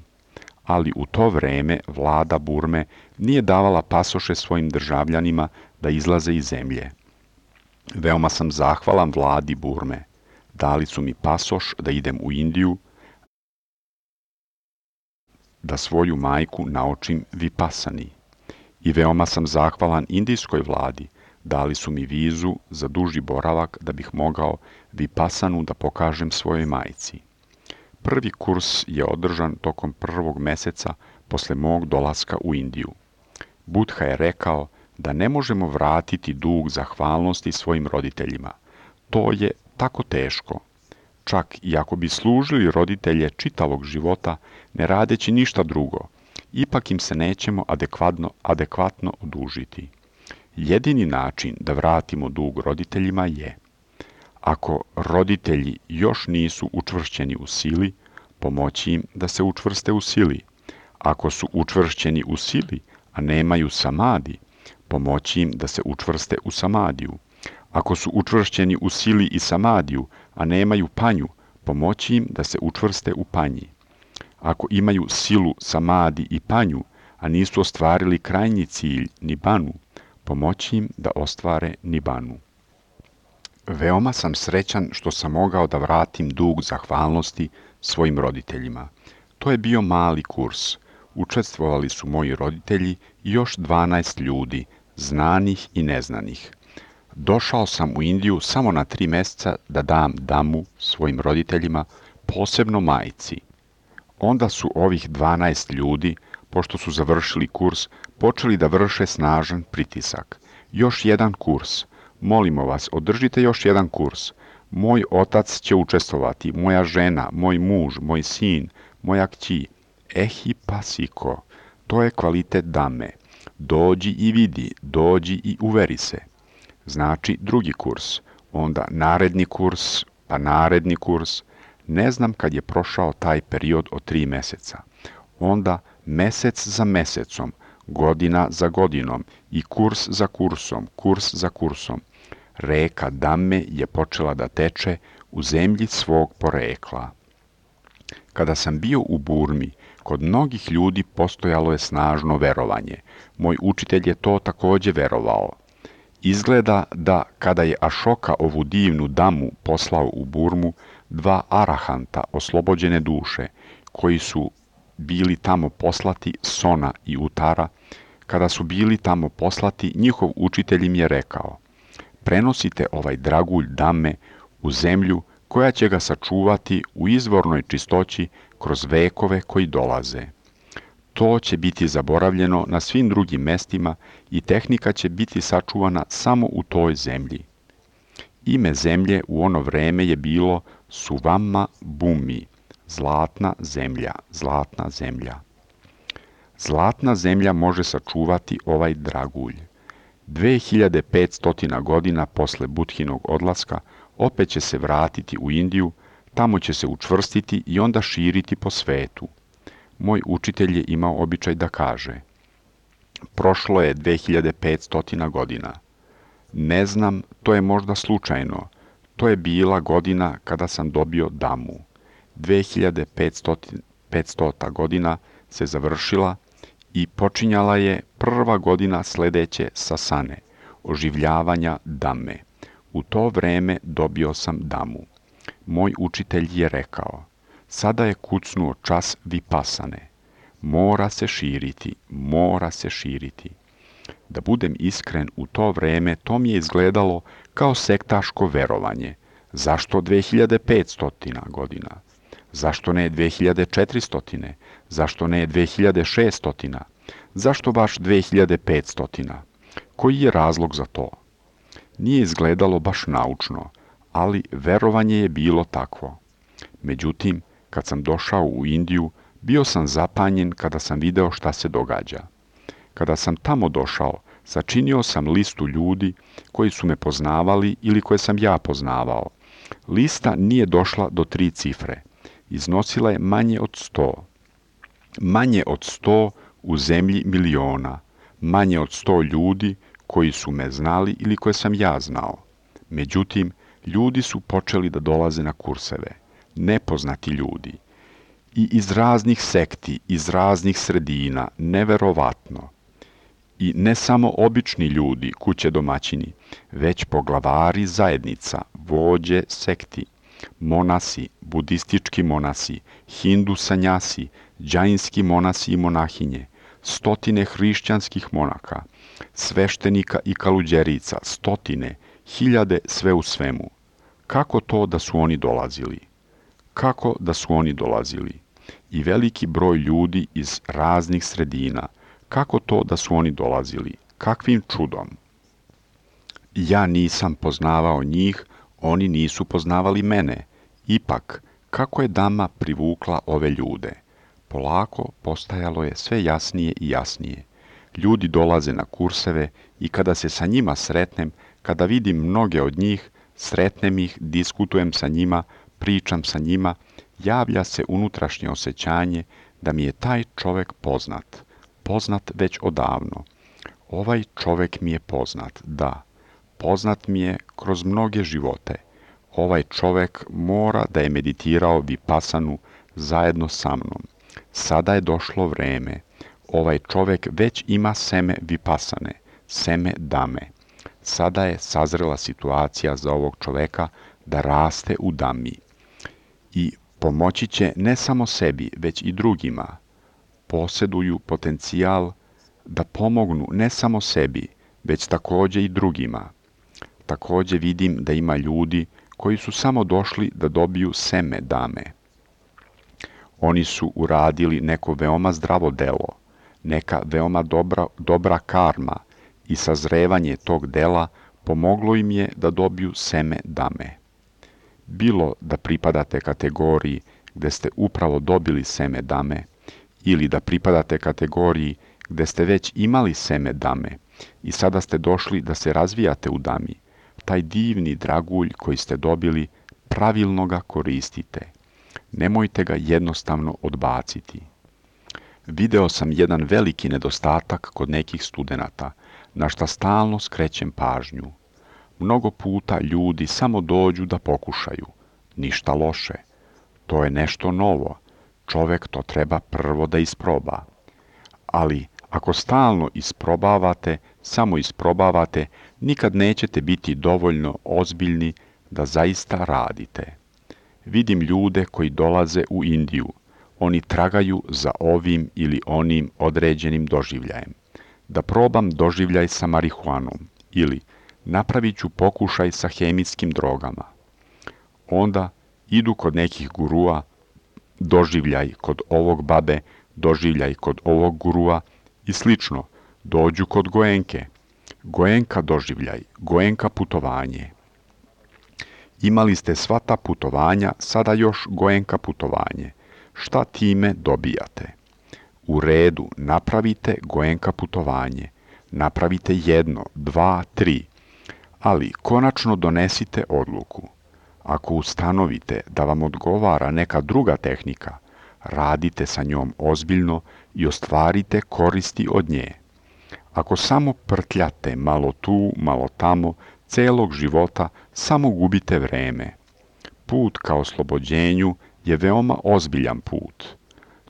Ali u to vreme vlada Burme nije davala pasoše svojim državljanima da izlaze iz zemlje. Veoma sam zahvalan vladi Burme. Dali su mi pasoš da idem u Indiju, da svoju majku naučim vipasani. I veoma sam zahvalan indijskoj vladi. Dali su mi vizu za duži boravak da bih mogao vipasanu da pokažem svojoj majci. Prvi kurs je održan tokom prvog meseca posle mog dolaska u Indiju. Buddha je rekao da ne možemo vratiti dug zahvalnosti svojim roditeljima. To je tako teško. Čak i ako bi služili roditelje čitavog života, ne radeći ništa drugo, ipak im se nećemo adekvatno, adekvatno odužiti. Jedini način da vratimo dug roditeljima je: ako roditelji još nisu učvršćeni u sili, pomoći im da se učvrste u sili. Ako su učvršćeni u sili, a nemaju samadi, pomoći im da se učvrste u samadiju. Ako su učvršćeni u sili i samadiju, a nemaju panju, pomoći im da se učvrste u panji. Ako imaju silu, samadi i panju, a nisu ostvarili krajnji cilj, nibanu, pomoći im da ostvare nibanu. Veoma sam srećan što sam mogao da vratim dug zahvalnosti svojim roditeljima. To je bio mali kurs. Učestvovali su moji roditelji i još dvanaest ljudi, znanih i neznanih. Došao sam u Indiju samo na tri mjeseca da dam damu svojim roditeljima, posebno majci. Onda su ovih dvanaest ljudi, pošto su završili kurs, počeli da vrše snažan pritisak. Još jedan kurs. Molimo vas, održite još jedan kurs. Moj otac će učestvovati, moja žena, moj muž, moj sin, moja kći. Ehi pasiko, to je kvalitet dame. Dođi i vidi, dođi i uveri se. Znači drugi kurs, onda naredni kurs, pa naredni kurs. Ne znam kad je prošao taj period od tri meseca. Onda mesec za mesecom, godina za godinom i kurs za kursom, kurs za kursom. Reka Dame je počela da teče u zemlji svog porekla. Kada sam bio u Burmi, kod mnogih ljudi postojalo je snažno verovanje. Moj učitelj je to takođe verovao. Izgleda da kada je Ašoka ovu divnu damu poslao u Burmu, dva arahanta, oslobođene duše, koji su bili tamo poslati, Sona i Utara, kada su bili tamo poslati, njihov učitelj im je rekao: prenosite ovaj dragulj dame u zemlju koja će ga sačuvati u izvornoj čistoći kroz vekove koji dolaze. To će biti zaboravljeno na svim drugim mestima i tehnika će biti sačuvana samo u toj zemlji. Ime zemlje u ono vreme je bilo Suvama Bumi, zlatna zemlja, zlatna zemlja. Zlatna zemlja može sačuvati ovaj dragulj. dve hiljade petsto godina posle Budhinog odlaska opet će se vratiti u Indiju, tamo će se učvrstiti i onda širiti po svetu. Moj učitelj je imao običaj da kaže: prošlo je dve hiljade petsto godina. Ne znam, to je možda slučajno. To je bila godina kada sam dobio damu. dve hiljade petsto godina se završila i počinjala je prva godina sledeće sasane, oživljavanja dame. U to vreme dobio sam damu. Moj učitelj je rekao: sada je kucnuo čas vipasane. Mora se širiti, mora se širiti. Da budem iskren, u to vreme to mi je izgledalo kao sektaško verovanje. Zašto dve hiljade petsto godina? Zašto ne dve hiljade četiristo? Zašto ne dve hiljade šesto? Zašto baš dve hiljade petsto? Koji je razlog za to? Nije izgledalo baš naučno, ali verovanje je bilo takvo. Međutim, kad sam došao u Indiju, bio sam zapanjen kada sam video šta se događa. Kada sam tamo došao, sačinio sam listu ljudi koji su me poznavali ili koje sam ja poznavao. Lista nije došla do tri cifre. Iznosila je manje od sto. Manje od sto u zemlji miliona. Manje od sto ljudi koji su me znali ili koje sam ja znao. Međutim, ljudi su počeli da dolaze na kurseve. Nepoznati ljudi. I iz raznih sekti, iz raznih sredina, neverovatno. I ne samo obični ljudi, kuće domaćini, već poglavari zajednica, vođe sekti, monasi, budistički monasi, hindu sanjasi, džainski monasi i monahinje, stotine hrišćanskih monaka, sveštenika i kaluđerica, stotine, hiljade sve u svemu. Kako to da su oni dolazili? Kako da su oni dolazili? I veliki broj ljudi iz raznih sredina. Kako to da su oni dolazili? Kakvim čudom? Ja nisam poznavao njih, oni nisu poznavali mene. Ipak, kako je Dhamma privukla ove ljude? Polako postajalo je sve jasnije i jasnije. Ljudi dolaze na kurseve i kada se sa njima sretnem, kada vidim mnoge od njih, sretnem ih, diskutujem sa njima, pričam sa njima, javlja se unutrašnje osjećanje da mi je taj čovek poznat. Poznat već odavno. Ovaj čovek mi je poznat, da. Poznat mi je kroz mnoge živote. Ovaj čovek mora da je meditirao vipasanu zajedno sa mnom. Sada je došlo vreme. Ovaj čovek već ima seme vipasane, seme dame. Sada je sazrela situacija za ovog čoveka da raste u dami. I pomoći će ne samo sebi, već i drugima. Posjeduju potencijal da pomognu ne samo sebi, već takođe i drugima. Takođe vidim da ima ljudi koji su samo došli da dobiju seme dame. Oni su uradili neko veoma zdravo delo, neka veoma dobra, dobra karma i sazrevanje tog dela pomoglo im je da dobiju seme dame. Bilo da pripadate kategoriji gde ste upravo dobili seme dame, ili da pripadate kategoriji gde ste već imali seme dame i sada ste došli da se razvijate u dami, taj divni dragulj koji ste dobili, pravilno ga koristite. Nemojte ga jednostavno odbaciti. Video sam jedan veliki nedostatak kod nekih studenata, na šta stalno skrećem pažnju. Mnogo puta ljudi samo dođu da pokušaju. Ništa loše. To je nešto novo. Čovek to treba prvo da isproba. Ali ako stalno isprobavate, samo isprobavate, nikad nećete biti dovoljno ozbiljni da zaista radite. Vidim ljude koji dolaze u Indiju. Oni tragaju za ovim ili onim određenim doživljajem. Da probam doživljaj sa marihuanom ili napravit ću pokušaj sa hemijskim drogama. Onda idu kod nekih gurua, doživljaj kod ovog babe, doživljaj kod ovog gurua i slično. Dođu kod goenke. Goenka doživljaj, goenka putovanje. Imali ste sva ta putovanja, sada još goenka putovanje. Šta time dobijate? U redu, napravite goenka putovanje. Napravite jedno, dva, tri. Ali konačno donesite odluku. Ako ustanovite da vam odgovara neka druga tehnika, radite sa njom ozbiljno i ostvarite koristi od nje. Ako samo prtljate malo tu, malo tamo, celog života samo gubite vreme. Put ka oslobođenju je veoma ozbiljan put.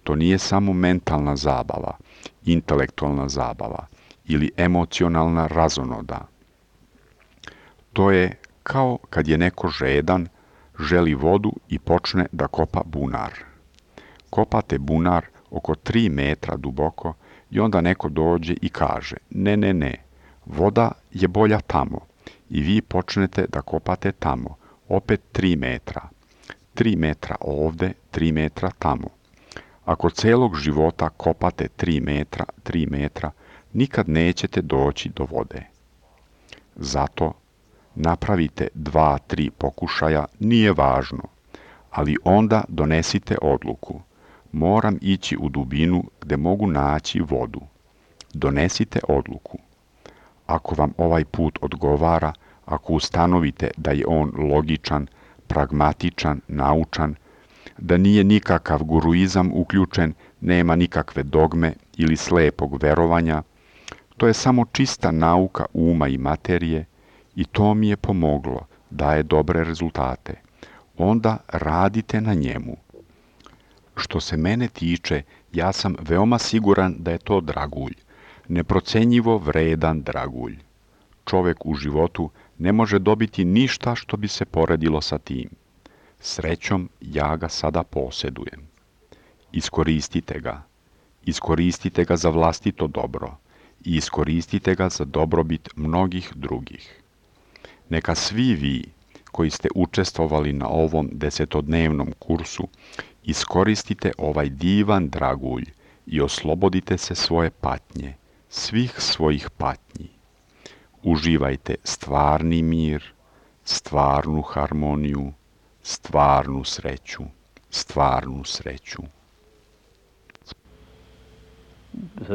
To nije samo mentalna zabava, intelektualna zabava ili emocionalna razonoda. To je kao kad je neko žedan, želi vodu i počne da kopa bunar. Kopate bunar oko tri metra duboko i onda neko dođe i kaže, ne, ne, ne, Voda je bolja tamo i vi počnete da kopate tamo, opet tri metra. Tri metra ovde, tri metra tamo. Ako celog života kopate tri metra, tri metra, nikad nećete doći do vode. Zato napravite dva, tri pokušaja, nije važno, ali onda donesite odluku. Moram ići u dubinu gde mogu naći vodu. Donesite odluku. Ako vam ovaj put odgovara, ako ustanovite da je on logičan, pragmatičan, naučan, da nije nikakav guruizam uključen, nema nikakve dogme ili slepog verovanja, to je samo čista nauka uma i materije i to mi je pomoglo, daje dobre rezultate. Onda radite na njemu. Što se mene tiče, ja sam veoma siguran da je to dragulj, neprocenjivo vredan dragulj. Čovek u životu ne može dobiti ništa što bi se poredilo sa tim. Srećom, ja ga sada posjedujem. Iskoristite ga. Iskoristite ga za vlastito dobro i iskoristite ga za dobrobit mnogih drugih. Neka svi vi koji ste učestvovali na ovom desetodnevnom kursu iskoristite ovaj divan dragulj i oslobodite se svoje patnje, svih svojih patnji. Uživajte stvarni mir, stvarnu harmoniju, stvarnu sreću, stvarnu sreću. Uh...